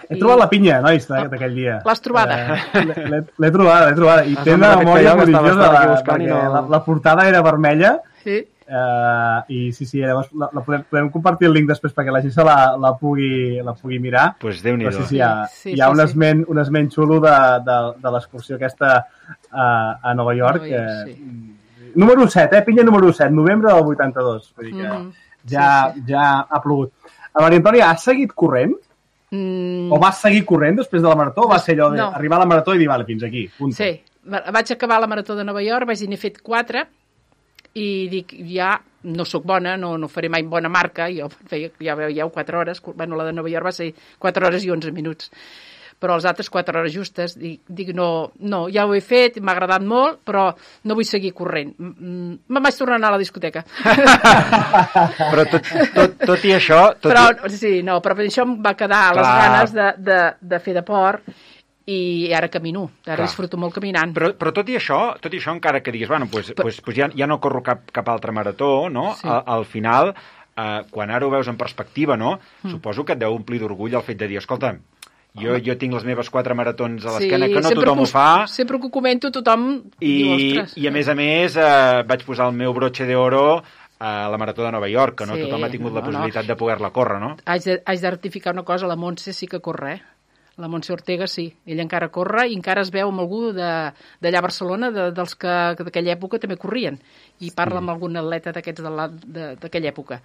He I... trobat la Pinya, nois, d'aquell dia. L'has trobada? Eh, l'he trobada, l'he trobada. I té una memòria prodigiosa, perquè no... la, la portada era vermella. Sí. Uh, I sí, sí, llavors la, la podem, podem compartir el link després perquè la gent se la, la, pugui, la pugui mirar. Pues Déu-n'hi-do. Però sí, sí, hi ha, sí, hi ha sí, un, esment, sí. un esment xulo de, de, de l'excursió aquesta uh, a Nova York. Nova York sí. Número set, eh? Pinya número set, novembre del vuitanta-dos. Vull dir que mm -hmm. ja, sí, sí. ja ha plogut. A Maria Antònia, has seguit corrent? Mm. O vas seguir corrent després de la marató o va ser allò d'arribar no. a la marató i dir, vale, fins aquí, punto? Sí, vaig acabar la marató de Nova York, vaig dir, n'he fet quatre i dic, ja no sóc bona, no, no faré mai bona marca, jo feia, ja veieu, quatre hores, bueno, la de Nova York va ser quatre hores i onze minuts, però les altres quatre hores justes, dic, dic no, no, ja ho he fet, m'ha agradat molt, però no vull seguir corrent. Me'n vaig tornar a anar a la discoteca. Però tot, tot, tot i això... Tot però, i... Sí, no, però això em va quedar Clar. les ganes de, de, de fer deport i ara camino, ara Clar. disfruto molt caminant. Però, però tot i això, tot i això encara que diguis, bueno, pues, però... pues, pues ja, ja no corro cap, cap altra marató, no? Sí. Al, al final, eh, quan ara ho veus en perspectiva, no? Mm. Suposo que et deu omplir d'orgull el fet de dir, escolta, Jo, jo tinc les meves quatre maratons a l'esquena, sí, que no tothom ho fa. Sempre que ho comento, tothom I, diu, ostres. I a més a més, eh, vaig posar el meu broche d'oro a la marató de Nova York, que no sí, tothom ha tingut no, la possibilitat no. de poder-la córrer, no? Haig de, haig de rectificar una cosa, la Montse sí que corre, eh? La Montse Ortega sí, ella encara corre i encara es veu amb algú d'allà a Barcelona, de, dels que d'aquella època també corrien, i parla sí. amb algun atleta d'aquests d'aquella època,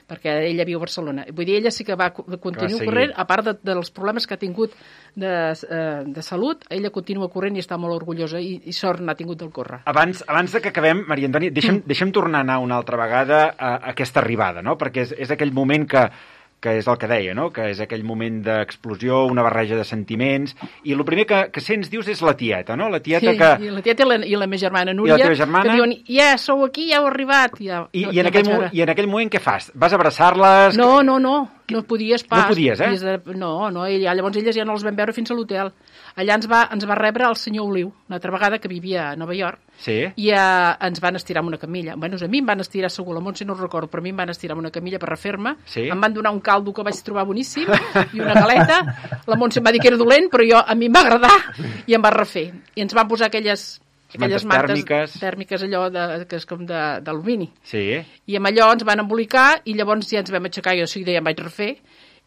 perquè ella viu a Barcelona. Vull dir, ella sí que va continuar corrent, a part de, dels problemes que ha tingut de, eh, de salut, ella continua corrent i està molt orgullosa i, i sort n'ha tingut del córrer. Abans, abans de que acabem, Maria Antònia, deixa'm, mm. deixa'm tornar a anar una altra vegada a, a aquesta arribada, no? Perquè és, és aquell moment que que és el que deia, no? Que és aquell moment d'explosió, una barreja de sentiments, i el primer que, que sents, dius, és la tieta, no? La tieta sí, que... i la tieta i la, i la meva germana Núria, I la teva germana... que diuen, ja, sou aquí, ja heu arribat. Ja, I, no, i, en aquell, mo- I en aquell moment què fas? Vas a abraçar-les? No, no, no. No podies pas. No podies, eh? De... No, no, ella, llavors elles ja no les vam veure fins a l'hotel. Allà ens va, ens va rebre el senyor Oliu, una altra vegada que vivia a Nova York, sí. i uh, ens van estirar amb una camilla. Bueno, a mi em van estirar segur, la Montse no ho recordo, però a mi em van estirar amb una camilla per refer-me. Sí. Em van donar un caldo que vaig trobar boníssim i una galeta. La Montse em va dir que era dolent, però jo, a mi em va agradar i em va refer. I ens van posar aquelles... aquelles mantes tèrmiques, tèrmiques allò de, que és com d'alumini. Sí. I amb allò ens van embolicar i llavors ja ens vam aixecar, jo seguida ja em vaig refer,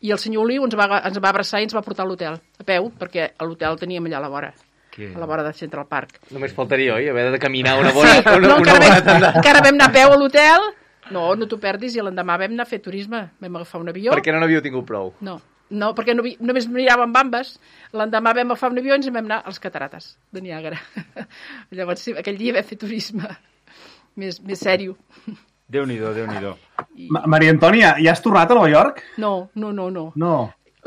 i el senyor Oliu ens va, ens va abraçar i ens va portar a l'hotel, a peu, perquè a l'hotel teníem allà a la vora, que... a la vora de Central Park. Només faltaria, oi? Haver de caminar una bona... Sí, una, no, una encara, bona vam, encara vam anar a peu a l'hotel, no, no t'ho perdis, i l'endemà vam anar a fer turisme, vam agafar un avió. Perquè no n'havíeu tingut prou. No. No, perquè no, només miràvem bambes. L'endemà vam agafar un avió i ens vam anar als catarates de Niàgara. Llavors, sí, aquell dia vam fer turisme més, més sèrio. Déu-n'hi-do, Déu-n'hi-do. I... Maria Antònia, ja has tornat a Nova York? No, no, no. no. No.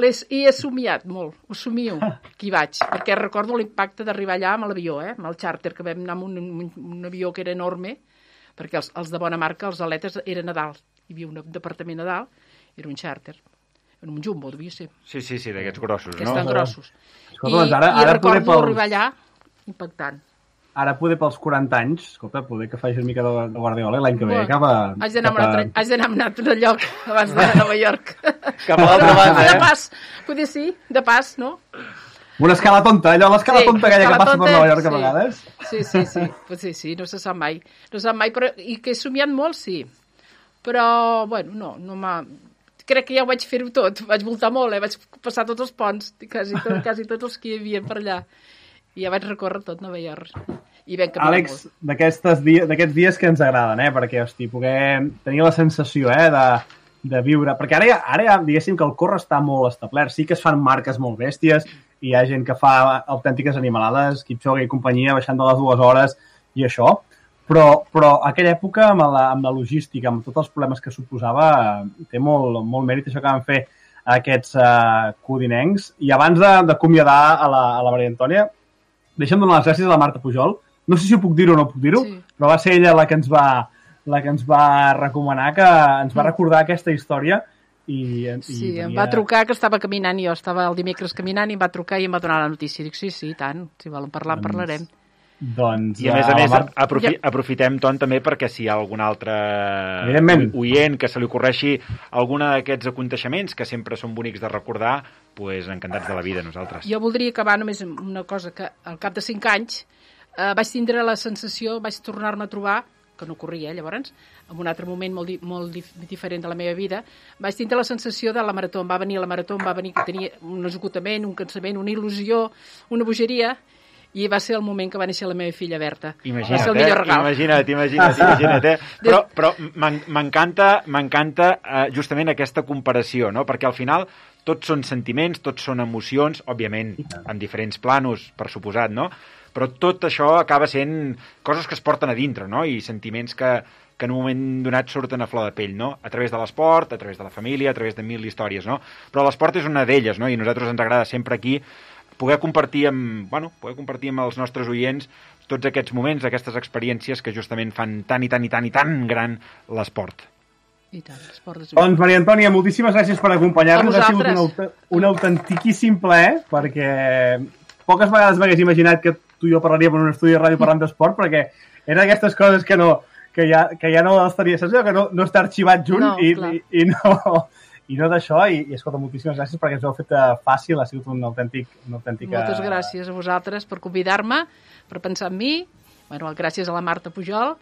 Les, I he somiat molt, ho somio, que hi vaig, perquè recordo l'impacte d'arribar allà amb l'avió, eh, amb el xàrter, que vam anar amb un, un, un avió que era enorme, perquè els, els de bona marca, els aletes, eren a dalt. Hi havia un departament a dalt, era un xàrter. En un jumbo, devia ser. Sí, sí, sí, d'aquests grossos, que no? estan grossos. Escolta, I, doncs ara, i ara recordo pels... arribar allà impactant. Ara poder pels quaranta anys, escolta, poder que faci una mica de, de Guardiola l'any que ve Bueno, cap a... Haig d'anar cap a... a... haig d'anar a un altre lloc abans d'anar a Nova York. Cap a l'altra banda, De eh? pas, poder sí, de pas, no? Una escala tonta, allò, l'escala Sí, tonta aquella que escala passa per tonta, Nova York a sí. vegades. Sí, sí, sí, pues sí, sí, no se sap mai. No se sap mai, però, i que he somiat molt, sí. Però, bueno, no, no m'ha... Crec que ja ho vaig fer-ho tot, vaig voltar molt, eh? Vaig passar tots els ponts, quasi, tot, quasi tots els que hi havia per allà. I ja vaig recórrer tot Nova York. I vam caminar Àlex, molt. d'aquests dies, d'aquests dies que ens agraden, eh? Perquè, hosti, poder tenir la sensació, eh, de, de viure... Perquè ara ja, ara ja, diguéssim que el córrer està molt establert. Sí que es fan marques molt bèsties, i hi ha gent que fa autèntiques animalades, Kipchoge i companyia, baixant de les dues hores i això. Però, però aquella època, amb la, amb la logística, amb tots els problemes que suposava, té molt, molt mèrit això que van fer aquests uh, codinencs. I abans d'acomiadar a, la, a la Maria Antònia, deixa'm donar les gràcies a la Marta Pujol. No sé si ho puc dir o no puc dir-ho, sí. Però va ser ella la que ens va, la que ens va recomanar, que ens va recordar aquesta història. I, i Sí, venia... em va trucar, que estava caminant, jo estava el dimecres caminant, i em va trucar i em va donar la notícia. Dic, sí, sí, tant, si volen parlar, en parlarem. Doncs, I a més a més, Mar... aprofi aprofitem, Ton, també perquè si hi ha algun altre oient que se li ocorreixi alguna d'aquests aconteixements, que sempre són bonics de recordar, pues, encantats de la vida, nosaltres. Jo voldria acabar només amb una cosa, que al cap de cinc anys eh, vaig tindre la sensació, vaig tornar-me a trobar, que no corria, eh, llavors, en un altre moment molt, di molt dif diferent de la meva vida, vaig tindre la sensació de la marató. Em va venir la marató, em va venir que tenia un esgotament, un cansament, una il·lusió, una bogeria, i va ser el moment que va néixer la meva filla Berta. Imagina't, va ser el millor regal. Imagina't, imagina't, imagina't, eh? Però, però m'encanta m'encanta eh, justament aquesta comparació, no? Perquè al final tots són sentiments, tots són emocions, òbviament, en diferents planos, per suposat, no? Però tot això acaba sent coses que es porten a dintre, no? I sentiments que, que en un moment donat surten a flor de pell, no? A través de l'esport, a través de la família, a través de mil històries, no? Però l'esport és una d'elles, no? I a nosaltres ens agrada sempre aquí poder compartir amb, bueno, poder compartir amb els nostres oients tots aquests moments, aquestes experiències que justament fan tan i tan i tan i tan gran l'esport. I tant, l'esport és... Doncs, Maria Antònia, moltíssimes gràcies per acompanyar-nos. Ha sigut un, un autentiquíssim plaer, perquè poques vegades m'hagués imaginat que tu i jo parlaríem en un estudi de ràdio parlant d'esport, perquè eren aquestes coses que no que ja, que ja no estaria, saps? Que no, no està arxivat junt no, i, i, i no... I no d'això, i, i escolta, moltíssimes gràcies perquè ens ho heu fet fàcil, ha sigut un autèntic... Un autèntic Moltes gràcies a vosaltres per convidar-me, per pensar en mi, bueno, gràcies a la Marta Pujol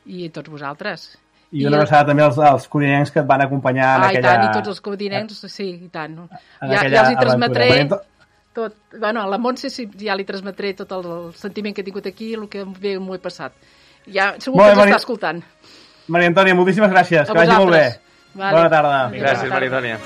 i a tots vosaltres. I una abraçada també als, als codinencs que et van acompanyar en ah, aquella... Ah, i tant, i tots els codinencs, sí, i tant. Ja, ja els hi transmetré tot... Bueno, a la Montse sí, ja li transmetré tot el, el sentiment que he tingut aquí, el que bé m'ho he passat. Ja, segur que ens està escoltant. Maria Antònia, moltíssimes gràcies, a que vagi molt bé. Vale. Bona tarda. Gràcies, Maria Antònia.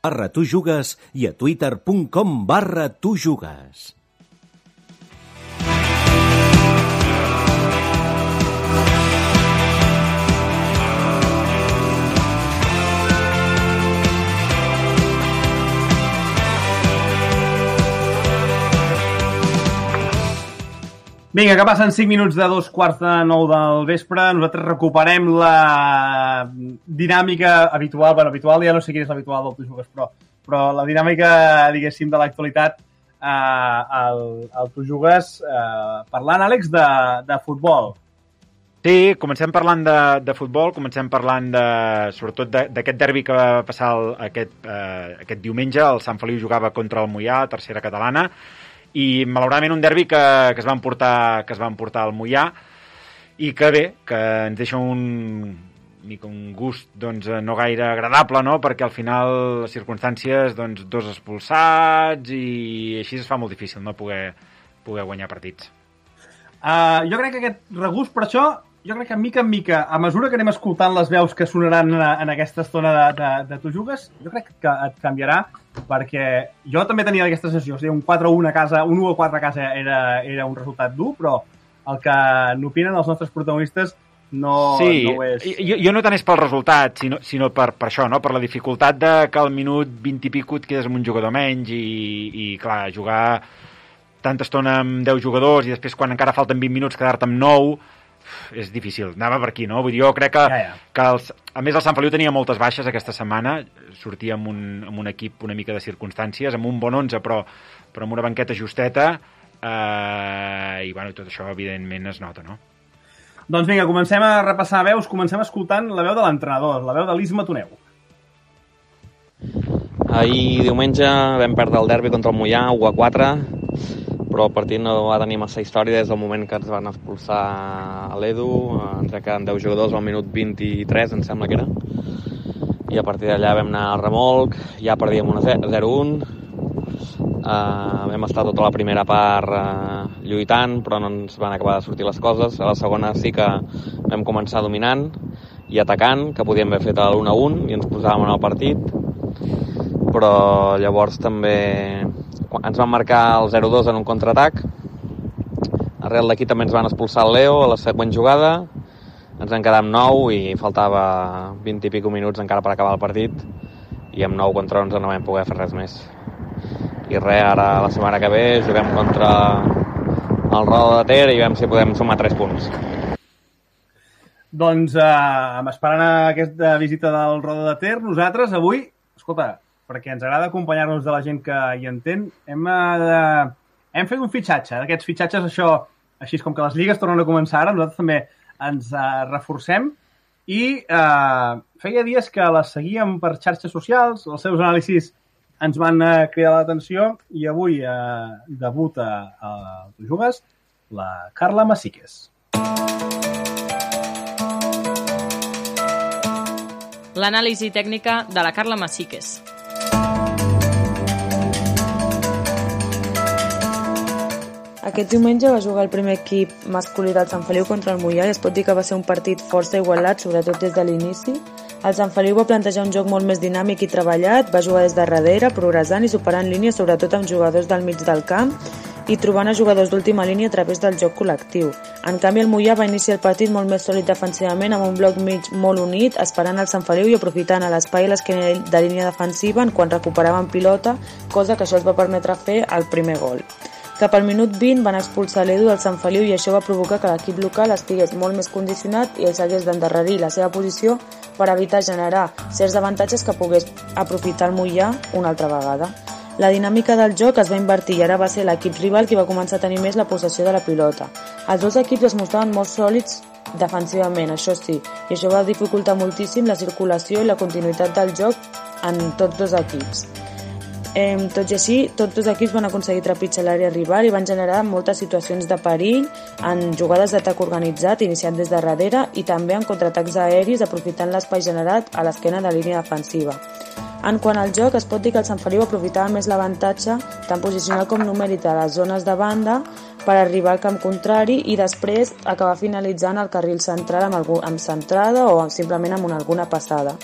barra tu jugues i a twitter punt com barra tu jugues. Vinga, que passen cinc minuts de dos quarts de nou del vespre. Nosaltres recuperem la dinàmica habitual. Bueno, habitual ja no sé quina és l'habitual del Tu Jugues, però, però la dinàmica, diguéssim, de l'actualitat eh, al, al Tu Jugues, eh, parlant, Àlex, de, de futbol. Sí, comencem parlant de, de futbol, comencem parlant de, sobretot d'aquest derbi que va passar el, aquest, eh, aquest diumenge. El Sant Feliu jugava contra el Moià, tercera catalana, i malauradament un derbi que, que es va emportar que es va emportar al Moià i que bé, que ens deixa un, un gust doncs, no gaire agradable, no? Perquè al final les circumstàncies, doncs, dos expulsats i així es fa molt difícil no poder, poder guanyar partits. Uh, jo crec que aquest regust, per això, jo crec que mica en mica, a mesura que anem escoltant les veus que sonaran en, en aquesta estona de, de, de Tu Jugues, jo crec que et canviarà, perquè jo també tenia aquesta sensació, o sigui, un quatre a u a casa, un u a quatre a casa era, era un resultat dur, però el que n'opinen els nostres protagonistes no, sí, no ho és. Jo, jo no tant és pel resultat, sinó, sinó per, per això, no? Per la dificultat de que al minut vint i pico et quedes amb un jugador menys i, i clar, jugar tanta estona amb deu jugadors i després quan encara falten vint minuts quedar-te amb nou és difícil, anava per aquí, no? Vull dir, jo crec que, ja, ja. que els, a més el Sant Feliu tenia moltes baixes aquesta setmana, sortia amb un, amb un equip una mica de circumstàncies, amb un bon onze però, però amb una banqueta justeta eh, i bueno, tot això evidentment es nota, no? Doncs vinga, comencem a repassar veus, comencem escoltant la veu de l'entrenador, la veu de l'Isma Toneu. Ahir diumenge vam perdre el derbi contra el Moià, u a quatre, però el partit no va tenir massa història des del moment que ens van expulsar a l'Edu, ens queden deu jugadors al minut vint-i-tres, em sembla que era, i a partir d'allà vam anar al remolc, ja perdíem zero a un, uh, vam estar tota la primera part uh, lluitant, però no ens van acabar de sortir les coses. A la segona sí que vam començar dominant i atacant, que podíem haver fet l'un a un i ens posàvem en el partit, però llavors també ens van marcar el zero a dos en un contraatac. Arrel d'aquí també ens van expulsar el Leo a la següent jugada, ens vam quedar amb nou i faltava vint i pico minuts encara per acabar el partit i amb nou contra onze no vam poder fer res més. I res, ara la setmana que ve juguem contra el Roda de Ter i veiem si podem sumar tres punts. Doncs eh, esperant aquesta visita del Roda de Ter, nosaltres avui, escolta, perquè ens agrada acompanyar-nos de la gent que hi entén, hem, de... hem fet un fitxatge. D'aquests fitxatges, això, així com que les lligues tornen a començar ara, nosaltres també ens uh, reforcem i uh, feia dies que les seguíem per xarxes socials, els seus anàlisis ens van uh, cridar l'atenció i avui uh, debuta a Tu Jugues la Carla Masíquez. L'anàlisi tècnica de la Carla Masíquez. Aquest diumenge va jugar el primer equip masculí del Sant Feliu contra el Moià i es pot dir que va ser un partit força igualat, sobretot des de l'inici. El Sant Feliu va plantejar un joc molt més dinàmic i treballat, va jugar des de darrere, progressant i superant línies, sobretot amb jugadors del mig del camp i trobant a jugadors d'última línia a través del joc col·lectiu. En canvi, el Moià va iniciar el partit molt més sòlid defensivament, amb un bloc mig molt unit, esperant el Sant Feliu i aprofitant a l'espai i l'esquena de línia defensiva quan recuperaven pilota, cosa que això els va permetre fer el primer gol. Cap al minut vint van expulsar l'Edu del Sant Feliu i això va provocar que l'equip local estigués molt més condicionat i ells hagués d'endarrerir la seva posició per evitar generar certs avantatges que pogués aprofitar el Moià una altra vegada. La dinàmica del joc es va invertir i ara va ser l'equip rival qui va començar a tenir més la possessió de la pilota. Els dos equips es mostraven molt sòlids defensivament, això sí, i això va dificultar moltíssim la circulació i la continuïtat del joc en tots dos equips. Eh, tot i així, tots dos equips van aconseguir trepitjar l'àrea rival i van generar moltes situacions de perill en jugades d'atac organitzat iniciant des de darrere i també en contraatacs aeris aprofitant l'espai generat a l'esquena de línia defensiva. En quant al joc, es pot dir que el Sant Feliu aprofitava més l'avantatge tant posicional com numèric de les zones de banda per arribar al camp contrari i després acabar finalitzant el carril central amb, algú, amb centrada o simplement amb una, alguna passada.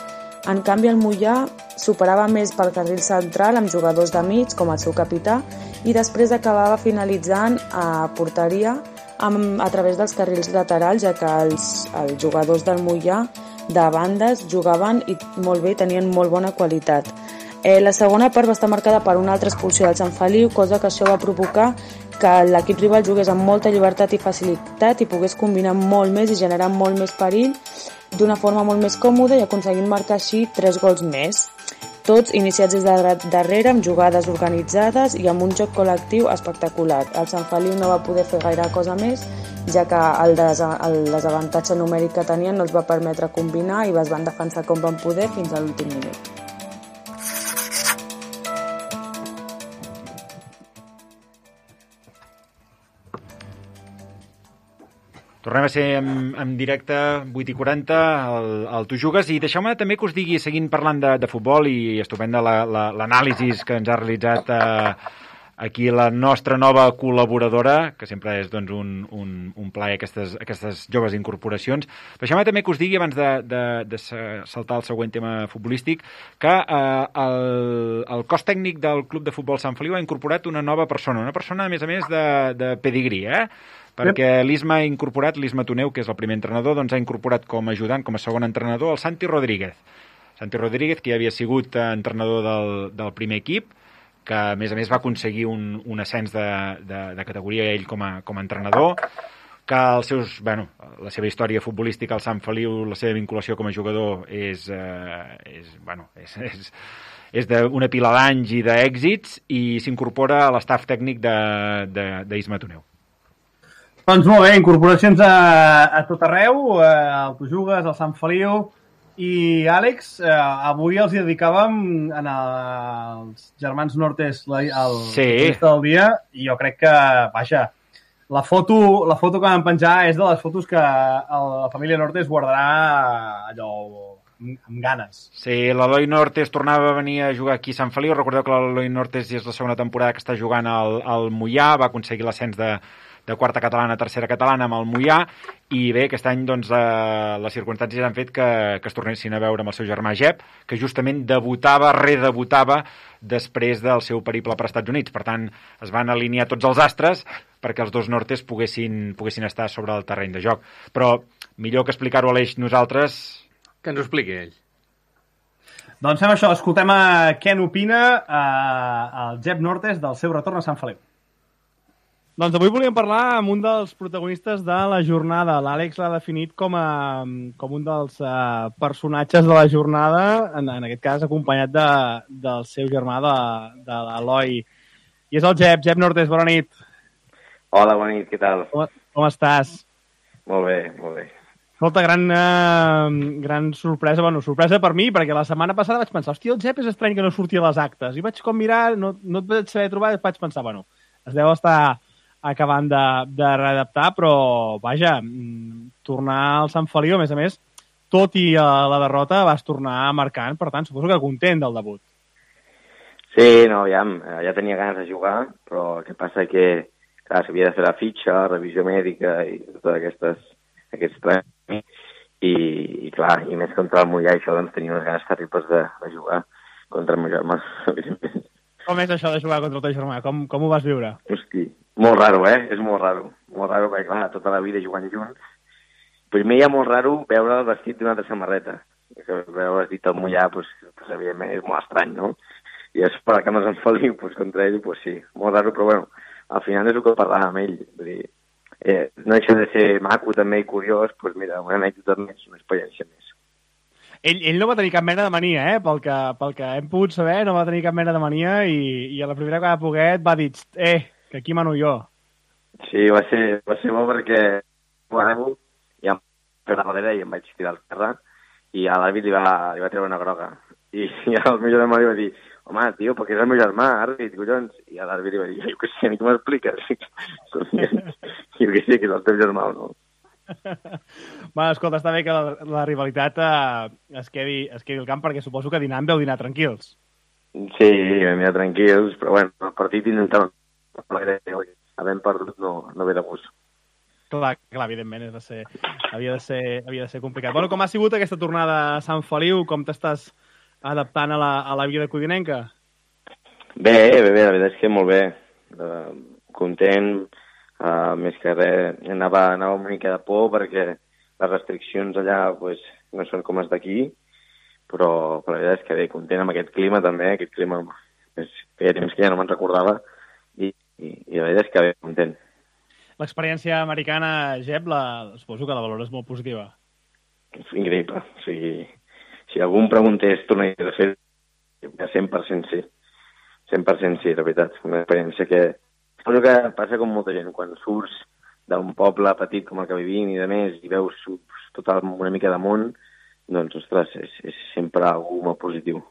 En canvi, el Moià superava més pel carril central amb jugadors de mig, com el seu capità, i després acabava finalitzant a porteria amb, a través dels carrils laterals, ja que els, els jugadors del Moià de bandes jugaven i molt bé, tenien molt bona qualitat. Eh, la segona part va estar marcada per una altra expulsió del Sant Feliu, cosa que això va provocar que l'equip rival jugués amb molta llibertat i facilitat i pogués combinar molt més i generar molt més perill d'una forma molt més còmoda i aconseguint marcar així tres gols més. Tots iniciats des de darrere, amb jugades organitzades i amb un joc col·lectiu espectacular. El Sant Feliu no va poder fer gaire cosa més, ja que el, des el desavantatge numèric que tenien no els va permetre combinar i es van defensar com van poder fins a l'últim minut. Tornem a ser en, en directe, vuit i quaranta, al, al Tu Jugues, i deixeu-me també que us digui, seguint parlant de, de futbol, i estupenda l'anàlisi que ens ha realitzat eh, aquí la nostra nova col·laboradora, que sempre és doncs, un, un, un plaer aquestes, aquestes joves incorporacions. Deixeu-me també que us digui, abans de, de, de saltar al següent tema futbolístic, que eh, el, el cos tècnic del Club de Futbol Sant Feliu ha incorporat una nova persona, una persona, a més a més, de, de pedigrí, eh? Perquè l'Isma ha incorporat, l'Isma Toneu, que és el primer entrenador, doncs ha incorporat com a ajudant, com a segon entrenador, el Santi Rodríguez. Santi Rodríguez, que ja havia sigut entrenador del, del primer equip, que a més a més va aconseguir un, un ascens de, de, de categoria ell com a, com a entrenador, que els seus, bueno, la seva història futbolística al Sant Feliu, la seva vinculació com a jugador és, eh, és, bueno, és, és, és d'una pila d'anys i d'èxits, i s'incorpora a l'estaf tècnic d'Isma Toneu. Doncs molt bé, incorporacions a, a tot arreu, al Tu Jugues, al Sant Feliu, i Àlex, eh, avui els dedicàvem en els germans Nortes el sí. del dia, i jo crec que, vaja, la foto, la foto que vam penjar és de les fotos que la família Nortes guardarà allò amb ganes. Sí, l'Eloi Nortes tornava a venir a jugar aquí a Sant Feliu. Recordeu que l'Eloi Nortes és la segona temporada que està jugant al, al Moià, va aconseguir l'ascens de de quarta catalana a tercera catalana amb el Moià, i bé, aquest any doncs, eh, les circumstàncies han fet que, que es tornessin a veure amb el seu germà Jep, que justament debutava, redebutava després del seu periple per Estats Units. Per tant, es van alinear tots els astres perquè els dos Nortes poguessin, poguessin estar sobre el terreny de joc. Però millor que explicar-ho a l'Eix nosaltres... Que ens ho expliqui ell. Doncs fem això, escoltem a què n'opina eh, el Jep Nortes del seu retorn a Sant Feliu. Doncs avui volíem parlar amb un dels protagonistes de la jornada. L'Àlex l'ha definit com, a, com un dels uh, personatges de la jornada, en, en aquest cas acompanyat de, del seu germà, de, de l'Eloi. I és el Jep. Jep Nortes, bona nit. Hola, bona nit, què tal? Com, com estàs? Molt bé, molt bé. Escolta, gran, uh, gran sorpresa, bueno, sorpresa per mi, perquè la setmana passada vaig pensar, hòstia, el Jep és estrany que no surti a les actes. I vaig com mirar, no, no et vaig saber trobar, i vaig pensar, bueno, es deu estar acabant de, de readaptar, però, vaja, tornar al Sant Feliu, a més a més, tot i uh, la derrota, vas tornar marcant, per tant, suposo que content del debut. Sí, no, ja, ja tenia ganes de jugar, però el que passa que, clar, s'havia de fer la fitxa, revisió mèdica i totes aquestes, aquests tràmits, i, i clar, i més contra el Moià, això, doncs tenia unes ganes terribles de, de jugar contra el meu germà. Com és això de jugar contra el teu germà? Com, com ho vas viure? Hosti, molt raro, eh? És molt raro. Molt raro, perquè, clar, tota la vida jugant junts. Primer hi ha molt raro veure el vestit d'una altra samarreta. Veure el vestit del Moià, doncs, pues, evidentment, és molt estrany, no? I és per que no se'n Feliu, doncs, contra ell, doncs sí, molt raro, però, bueno, al final és el que parlàvem amb ell. Vull dir, eh, no deixa de ser maco, també, i curiós, doncs, mira, una anècdota més, una experiència més. Ell, ell no va tenir cap mena de mania, eh? Pel que, pel que hem pogut saber, no va tenir cap mena de mania, i, i a la primera que va poder va dir, eh, que aquí mano jo. Sí, va ser, va ser bo perquè bueno, ja em vaig fer darrere i em vaig tirar al terra, i a l'àrbit li, va, li va treure una groga. I, i el meu germà li va dir, home, tio, perquè és el meu germà, àrbit, collons. I a l'àrbit li va dir, jo què sé, a mi com m'expliques? Jo què sé, que és el teu germà o no. Bueno, escolta, està bé que la, la rivalitat eh, es, quedi, es quedi al camp, perquè suposo que dinant veu dinar tranquils. Sí, vam dinar tranquils, però bueno, el partit intentava havent perdut no, no ve de gust. Clar, clar, evidentment, és de ser, havia, de ser, havia de ser complicat. Bueno, com ha sigut aquesta tornada a Sant Feliu? Com t'estàs adaptant a la, a la vida codinenca? Bé, bé, bé, la veritat és que molt bé. Uh, content, uh, més que res, anava, anava una mica de por perquè les restriccions allà pues, no són com les d'aquí, però, però la veritat és que bé, content amb aquest clima també, aquest clima és, feia temps que ja no me'n recordava i, i, i la veritat és que bé, content. L'experiència americana, Jep, la, suposo que la valores molt positiva. És increïble. O sigui, si algú em preguntés tornaria a fer, cent per cent sí. cent per cent sí, la veritat. Una experiència que... Suposo que passa com molta gent. Quan surts d'un poble petit com el que vivim i de més i veus tot una mica de món, doncs, ostres, és, és sempre algú molt positiu.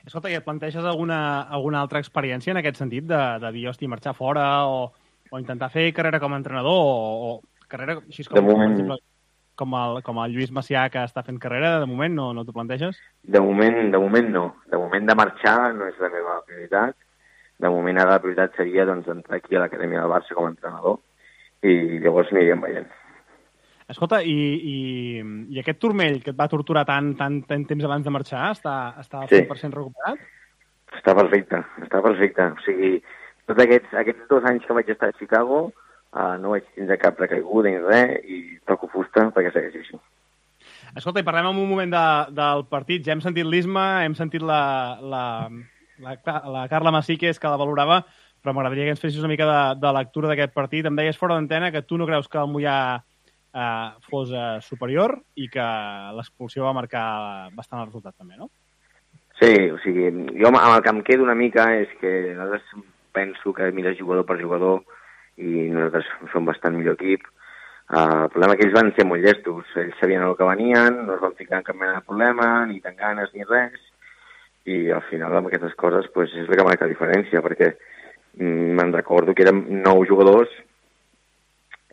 Escolta, i et planteges alguna, alguna altra experiència en aquest sentit de, de dir, hosti, marxar fora o... o intentar fer carrera com a entrenador, o, o carrera així com, moment, com, com, el, com el Lluís Macià, que està fent carrera, de moment no, no t'ho planteges? De moment, de moment no. De moment de marxar no és la meva prioritat. De moment ara la prioritat seria doncs, entrar aquí a l'Acadèmia del Barça com a entrenador i llavors aniríem veient. Escolta, i, i, i aquest turmell que et va torturar tant, tant, tant temps abans de marxar, està, està al cent per cent sí. recuperat? Està perfecte, està perfecte. O sigui, tots aquests, aquests dos anys que vaig estar a Chicago uh, no vaig tindre cap recaiguda ni res i toco fusta perquè segueixi així. Escolta, i parlem en un moment de, del partit. Ja hem sentit l'Isma, hem sentit la, la, la, la Carla Masíquez, que la valorava, però m'agradaria que ens fessis una mica de, de lectura d'aquest partit. Em deies fora d'antena que tu no creus que el Mollà eh, fos eh, superior i que l'expulsió va marcar bastant el resultat també, no? Sí, o sigui, jo amb el que em quedo una mica és que nosaltres penso que mires jugador per jugador i nosaltres som bastant millor equip. Uh, el problema és que ells van ser molt llestos. Ells sabien el que venien, no es van ficar en cap mena de problema, ni tan ganes ni res, i al final amb aquestes coses pues, és el que marca la diferència, perquè mm, me'n recordo que érem nou jugadors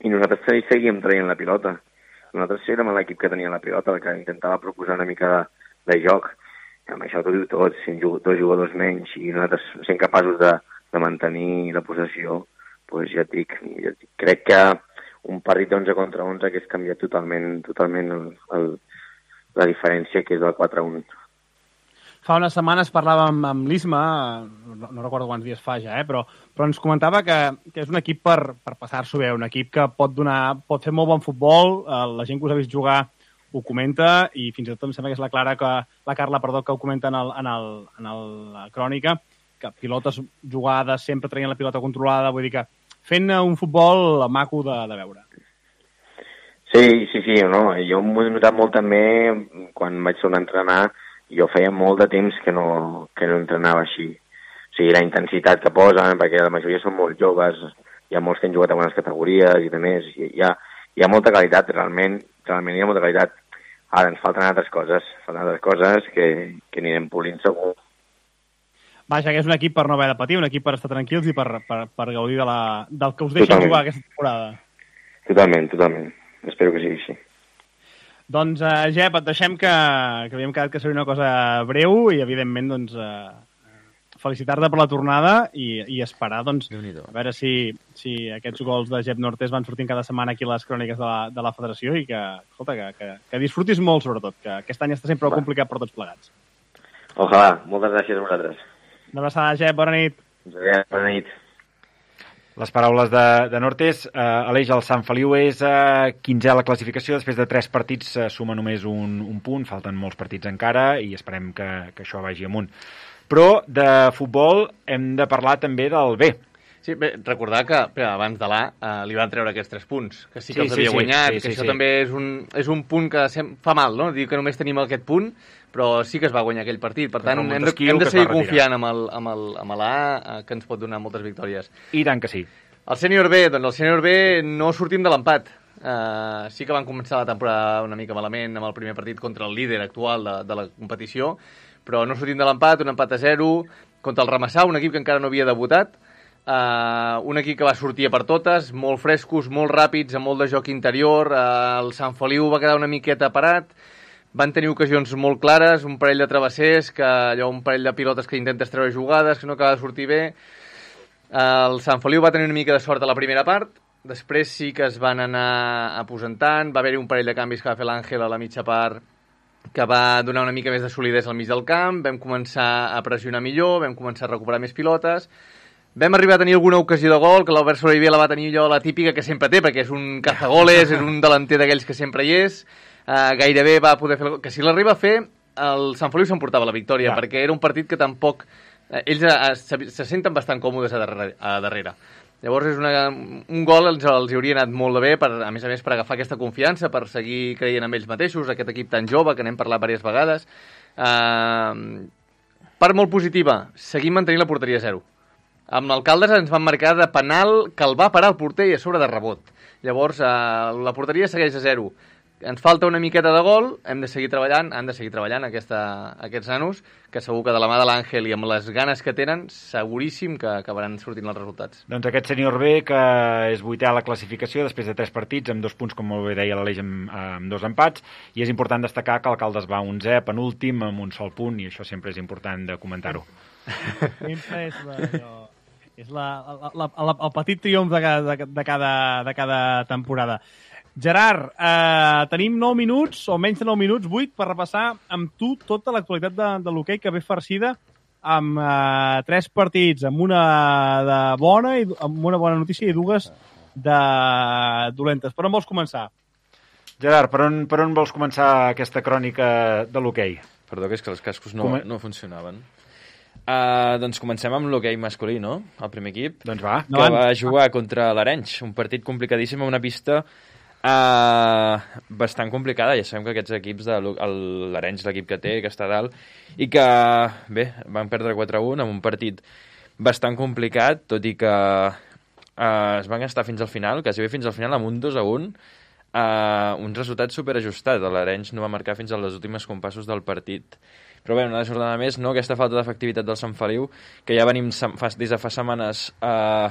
i nosaltres seguíem traient la pilota. Nosaltres érem l'equip que tenia la pilota, el que intentava proposar una mica de, de joc. I amb això t'ho diu tot, sent dos jugadors menys i nosaltres sent capaços de de mantenir la possessió, doncs ja et dic, ja et dic, crec que un partit d'onze contra onze que és canviat totalment, totalment el, el, la diferència que és del quatre a un. Fa unes setmanes parlàvem amb l'Isma, no, no recordo quants dies fa ja, eh, però, però ens comentava que, que és un equip per, per passar-s'ho bé, un equip que pot, donar, pot fer molt bon futbol, eh, la gent que us ha vist jugar ho comenta, i fins i tot em sembla que és la Clara, que, la Carla, perdó, que ho comenta en, el, en, el, en el, la crònica, que pilotes jugades, sempre traient la pilota controlada, vull dir que fent un futbol maco de, de veure. Sí, sí, sí, no? Jo m'ho he notat molt també quan vaig tornar a entrenar, jo feia molt de temps que no, que no entrenava així. O sigui, la intensitat que posen, perquè la majoria són molt joves, hi ha molts que han jugat a bones categories i de més, hi ha, hi ha molta qualitat, realment, realment hi ha molta qualitat. Ara ens falten altres coses, falten altres coses que, que anirem polint segur. Vaja, que és un equip per no haver de patir, un equip per estar tranquils i per, per, per gaudir de la, del que us deixen totalment jugar aquesta temporada. Totalment, totalment. Espero que sigui així. Doncs, uh, Jep, et deixem que, que havíem quedat que seria una cosa breu i, evidentment, doncs, uh, felicitar-te per la tornada i, i esperar, doncs, a veure si, si aquests gols de Jep Nortés van sortint cada setmana aquí a les cròniques de la, de la federació i que, escolta, que, que, que disfrutis molt, sobretot, que aquest any està sempre Va. complicat per tots plegats. Ojalà. Moltes gràcies a vosaltres. Una abraçada, Jep. Bona nit. Bona nit. Les paraules de, de Nortés. Eh, Aleix, el Sant Feliu és eh, quinzè a la classificació. Després de tres partits eh, suma només un, un punt. Falten molts partits encara i esperem que, que això vagi amunt. Però de futbol hem de parlar també del B. Sí, bé, recordar que bé, abans de l'A eh, li van treure aquests tres punts, que sí que sí, els havia sí, guanyat, sí, sí, que sí, això sí. també és un, és un punt que sem- fa mal, no? Dir que només tenim aquest punt, però sí que es va guanyar aquell partit. Per tant, hem de, hem de seguir confiant amb, el, amb, el, amb l'A, eh, que ens pot donar moltes victòries. I tant que sí. El sènior B, doncs el sènior B no sortim de l'empat. Uh, sí que van començar la temporada una mica malament amb el primer partit contra el líder actual de, de la competició, però no sortim de l'empat, un empat a zero contra el Ramassà, un equip que encara no havia debutat, uh, un equip que va sortir a per totes, molt frescos, molt ràpids, amb molt de joc interior, uh, el Sant Feliu va quedar una miqueta parat, van tenir ocasions molt clares, un parell de travessers, que allò, un parell de pilotes que intentes treure jugades, que no acaba de sortir bé. El Sant Feliu va tenir una mica de sort a la primera part després sí que es van anar aposentant, va haver-hi un parell de canvis que va fer l'Àngel a la mitja part que va donar una mica més de solidesa al mig del camp, vam començar a pressionar millor, vam començar a recuperar més pilotes, vam arribar a tenir alguna ocasió de gol, que l'Albert Sobrevivia la va tenir allò la típica que sempre té, perquè és un cazagoles, és un delanter d'aquells que sempre hi és, uh, gairebé va poder fer... Que si l'arriba a fer, el Sant Feliu s'emportava la victòria, ja. Perquè era un partit que tampoc... Uh, ells uh, se, se senten bastant còmodes a darrere. A darrere. Llavors, és una, un gol els, els hauria anat molt de bé, per, a més a més, per agafar aquesta confiança, per seguir creient en ells mateixos, aquest equip tan jove, que n'hem parlat diverses vegades. Uh, part molt positiva, seguim mantenint la porteria a zero. Amb l'Alcaldes ens van marcar de penal que el va parar el porter i a sobre de rebot. Llavors, uh, la porteria segueix a zero. Ens falta una miqueta de gol, hem de seguir treballant, han de seguir treballant aquesta, aquests nanos, que segur que de la mà de l'Àngel i amb les ganes que tenen, seguríssim que acabaran sortint els resultats. Doncs aquest sènior B, que és vuitè a la classificació després de tres partits, amb dos punts, com molt bé deia l'Aleix, amb, amb dos empats, i és important destacar que l'Alcaldes va onzè, penúltim, amb un sol punt, i això sempre és important de comentar-ho. Sempre és la, és la, la, la, la, el petit triomf de cada, de cada, de cada temporada. Gerard, eh, tenim nou minuts, o menys de nou minuts, vuit, per repassar amb tu tota l'actualitat de, de l'hoquei, que ve farcida amb eh, tres partits, amb una de bona i amb una bona notícia i dues de dolentes. Per on vols començar? Gerard, per on, per on vols començar aquesta crònica de l'hoquei? Perdó, que és que els cascos no, Com... no funcionaven. Uh, doncs comencem amb l'hoquei masculí, no? El primer equip. Doncs va. Que no, va jugar contra l'Arenys, un partit complicadíssim a una pista Uh, bastant complicada. Ja sabem que aquests equips de l'Arenys, l'equip que té, que està dalt, i que, bé, van perdre quatre a un amb un partit bastant complicat, tot i que uh, es van estar fins al final, quasi bé fins al final, amb un dos a un, uh, un resultat superajustat. L'Arenys no va marcar fins als últims compassos del partit. Però bé, una jornada més, no? Aquesta falta d'efectivitat del Sant Feliu, que ja venim fa, des de fa setmanes uh,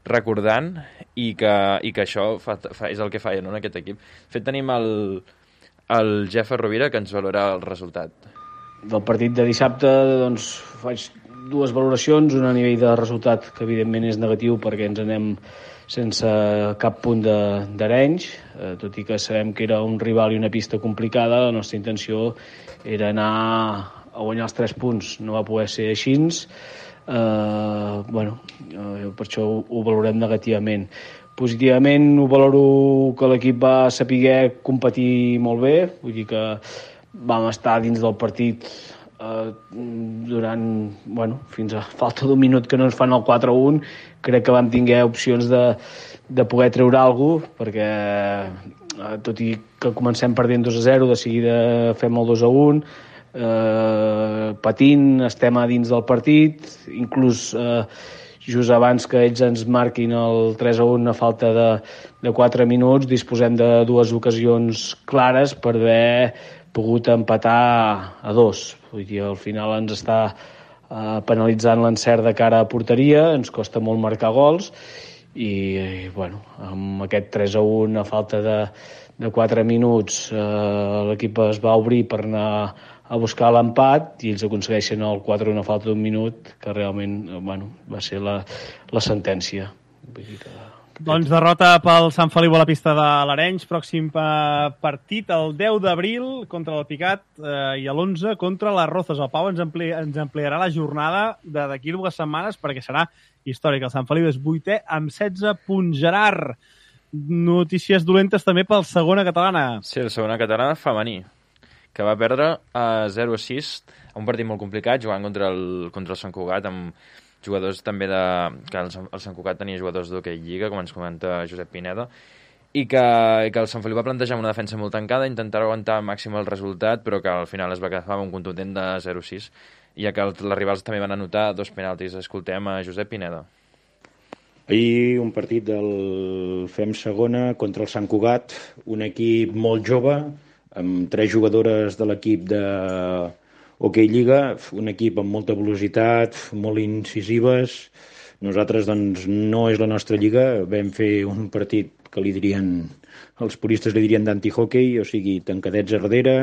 recordant, i que, i que això fa, fa, és el que falla, no, en aquest equip. De fet, tenim el, el Jeffer Rovira, que ens valora el resultat. Del partit de dissabte, doncs, faig dues valoracions, una a nivell de resultat, que evidentment és negatiu perquè ens anem sense cap punt d'Arenys, eh, tot i que sabem que era un rival i una pista complicada. La nostra intenció era anar a guanyar els tres punts, no va poder ser així. Uh, bueno, uh, per això ho, ho valorem negativament. Positivament ho valoro que l'equip va saber competir molt bé, vull dir que vam estar dins del partit uh, durant, bueno, fins a falta d'un minut que no ens fan el quatre a un. Crec que vam tinguer opcions de, de poder treure alguna cosa, perquè uh, tot i que comencem perdent dos a zero, de seguida fem el dos a un, Uh, patint, estem a dins del partit, inclús uh, just abans que ells ens marquin el tres a un a falta de, de quatre minuts, disposem de dues ocasions clares per haver pogut empatar a dos. Vull dir, al final ens està uh, penalitzant l'encert de cara a porteria, ens costa molt marcar gols, i, i bueno, amb aquest tres a un a falta de, de quatre minuts uh, l'equip es va obrir per anar a buscar l'empat, i ells aconsegueixen el quatre a un a falta d'un minut, que realment, bueno, va ser la, la sentència. Vull dir que... Doncs derrota pel Sant Feliu a la pista de l'Arenys, pròxim partit el deu d'abril contra el Picat, eh, i l'onze contra les Rozas. El Pau ens, ampli, ens ampliarà la jornada d'aquí dues setmanes, perquè serà històric. El Sant Feliu és vuitè amb setze punts. Gerard, notícies dolentes també pel segona catalana. Sí, el segona catalana femení, que va perdre a zero a sis, a un partit molt complicat, jugant contra el, contra el Sant Cugat, amb jugadors també de... que el, el Sant Cugat tenia jugadors d'hoquei lliga, com ens comenta Josep Pineda, i que, i que el Sant Feliu va plantejar una defensa molt tancada, intentar aguantar al màxim el resultat, però que al final es va quedar amb un contundent de zero a sis, ja que el, les rivals també van anotar dos penaltis. Escoltem a Josep Pineda. Ahir un partit del Fem Segona contra el Sant Cugat, un equip molt jove, amb tres jugadores de l'equip de Hockey Lliga, un equip amb molta velocitat, molt incisives. Nosaltres, doncs, no és la nostra lliga. Vam fer un partit que li dirien, els puristes li dirien d'anti-hockey, o sigui, tancadets a darrere,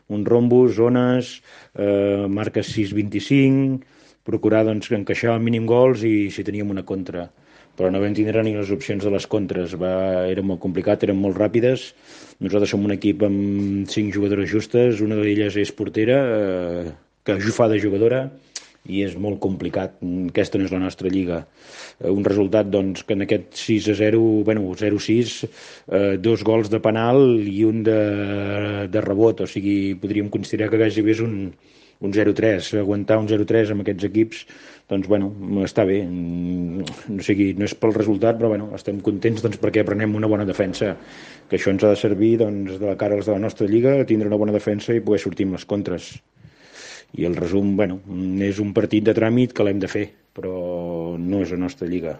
un rombus, zones, eh, marques sis vint-i-cinc, procurar, doncs, encaixar el mínim gols i si teníem una contra. però no vam tindre ni les opcions de les contres. Va, era molt complicat, eren molt ràpides. Nosaltres som un equip amb cinc jugadores justes, una d'elles és portera, eh, que fa de jugadora, i és molt complicat. Aquesta no és la nostra lliga. Un resultat, doncs, que en aquest sis a zero, bueno, zero sis, eh, dos gols de penal i un de, de rebot, o sigui, podríem considerar que gairebé és un, un zero tres. Aguantar un zero tres amb aquests equips, doncs, bueno, està bé. O sigui, no és pel resultat, però, bueno, estem contents, doncs, perquè aprenem una bona defensa, que això ens ha de servir, doncs, de la cara als de la nostra lliga, tindre una bona defensa i poder sortir amb les contres. I el resum, bueno, és un partit de tràmit que l'hem de fer, però no és la nostra lliga.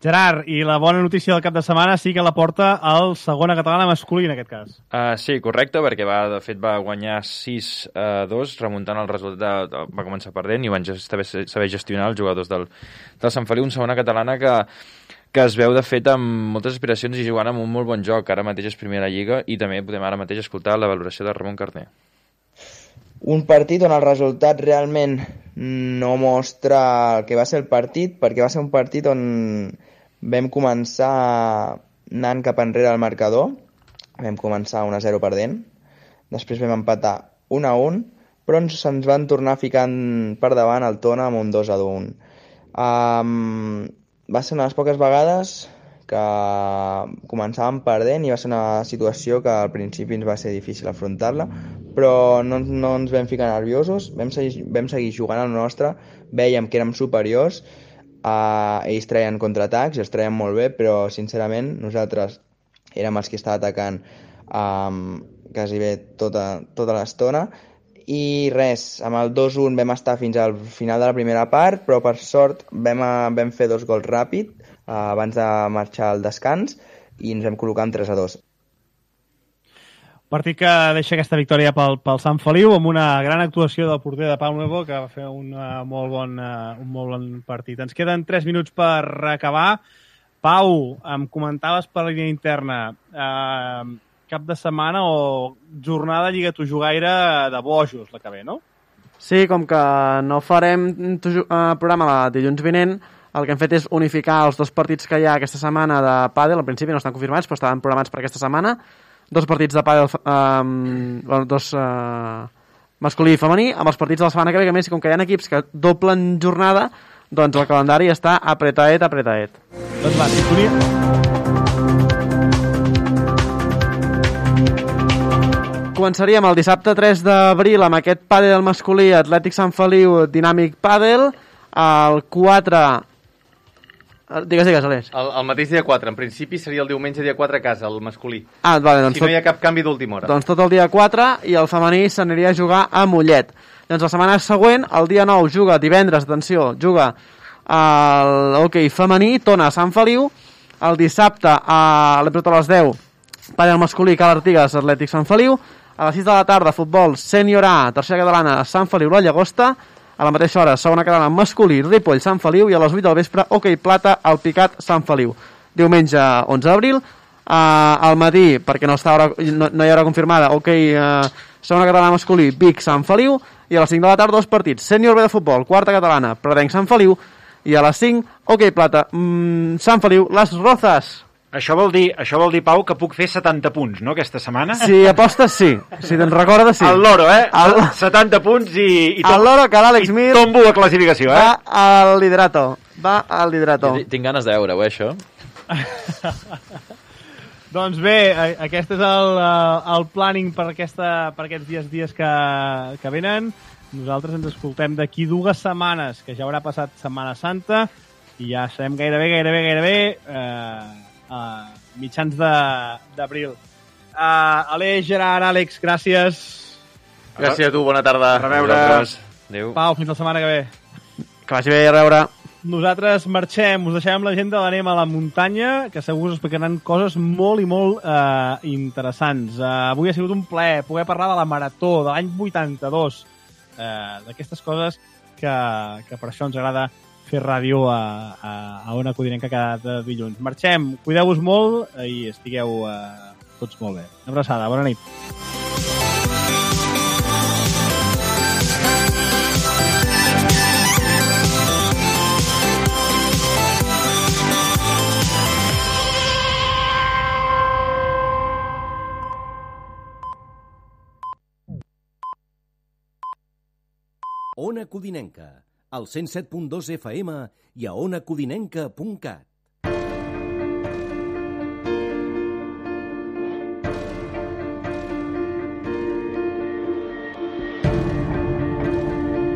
Gerard, i la bona notícia del cap de setmana sí que la porta el segona catalana masculí, en aquest cas. Uh, sí, correcte, perquè va, de fet va guanyar sis a dos, remuntant el resultat, de, va començar perdent i van saber, saber gestionar els jugadors del, del Sant Feliu, una segona catalana que, que es veu, de fet, amb moltes aspiracions i jugant amb un molt bon joc. Ara mateix és primera lliga i també podem ara mateix escoltar la valoració de Ramon Carner. Un partit on el resultat realment no mostra el que va ser el partit, perquè va ser un partit on vam començar anant cap enrere al marcador, vam començar un a zero perdent, després vam empatar un a un, però ens, se'ns van tornar ficant per davant el Tona amb un dos a un. Um, va ser una de les poques vegades que començàvem perdent i va ser una situació que al principi ens va ser difícil afrontar-la, però no, no ens vam ficar nerviosos, vam seguir, vam seguir jugant al nostre, vèiem que érem superiors, uh, ells treien contraatacs i els treien molt bé, però sincerament nosaltres érem els que estava atacant um, quasi bé tota, tota l'estona, i res, amb el dos a un vam estar fins al final de la primera part, però per sort vam, vam fer dos gols ràpid uh, abans de marxar al descans i ens vam col·locar en tres a dos. Partit que deixa aquesta victòria pel, pel Sant Feliu amb una gran actuació del porter de Pau Nuevo, que va fer un, uh, molt bon, uh, un molt bon partit. Ens queden tres minuts per acabar. Pau, em comentaves per la línia interna, uh, cap de setmana o jornada Lliga Tu Jugaire de bojos, la que ve, no? Sí, com que no farem uh, programa la dilluns vinent, el que hem fet és unificar els dos partits que hi ha aquesta setmana de pàdel. Al principi no estan confirmats, però estaven programats per aquesta setmana. Dos partits de pàdel, um, dos uh, masculí i femení, amb els partits de la setmana que ve, que més, com que hi ha equips que doblen jornada, doncs el calendari està apretaet, apretaet. Doncs va, sintonia. Començaríem el dissabte tres d'abril amb aquest pàdel masculí Atlètic Sant Feliu Dinàmic Pàdel. El quatre... Digues, digues, Aleix. El, el mateix dia quatre. En principi seria el diumenge dia quatre a casa, el masculí. Ah, vale, doncs si no tot... hi ha cap canvi d'última hora. Doncs tot el dia quatre i el femení s'aniria a jugar a Mollet. Doncs la setmana següent, el dia nou, juga divendres, atenció, juga l'hoquei femení, Tona a Sant Feliu. El dissabte, a l'Epret a les deu, pàdel masculí, Cal Artigas, Atlètic Sant Feliu. A les sis de la tarda, futbol sènior A, tercera catalana, Sant Feliu, la Llagosta. A la mateixa hora, segona catalana, masculí, Ripoll, Sant Feliu. I a les vuit del vespre, hoquei plata, el Picat, Sant Feliu. Diumenge onze d'abril. Uh, al matí, perquè no, està hora, no, no hi ha hora confirmada, hoquei uh, segona catalana masculí, Vic, Sant Feliu. I a les cinc de la tarda, dos partits. Sènior B de futbol, quarta catalana, Pradenc, Sant Feliu. I a les cinc, hoquei plata, mm, Sant Feliu, Les Rozas. Això vol dir, això vol dir, Pau, que puc fer setanta punts, no, aquesta setmana? Si apostes, sí. Si te'n recordes, sí. El loro, eh? El... setanta punts i... i tom... El loro, que l'Àlex Mir... tombo a classificació, eh? Va al liderato. Va al liderato. Jo tinc ganes de veure-ho, eh, això? Doncs bé, aquest és el, el planning per, aquesta, per aquests dies dies que, que venen. Nosaltres ens escoltem d'aquí dues setmanes, que ja haurà passat Setmana Santa, i ja serem gairebé, gairebé, gairebé... Eh... Uh, mitjans d'abril. Uh, Aleix, Gerard, Àlex, gràcies. Gràcies a tu, bona tarda. A reveure. Adéu. Pau, fins la setmana que ve. Que vagi bé, a reveure. Nosaltres marxem, us deixem l'agenda, l'anem a la muntanya, que segur us explicaran coses molt i molt uh, interessants. Uh, avui ha sigut un plaer poder parlar de la Marató de l'any vuitanta-dos, uh, d'aquestes coses que, que per això ens agrada fer ràdio a, a, a Ona Codinenca cada dilluns. Marxem, cuideu-vos molt i estigueu uh, tots molt bé. Una abraçada, bona nit. Ona Codinenca, al cent set punt dos F M i a ona codinenca punt cat.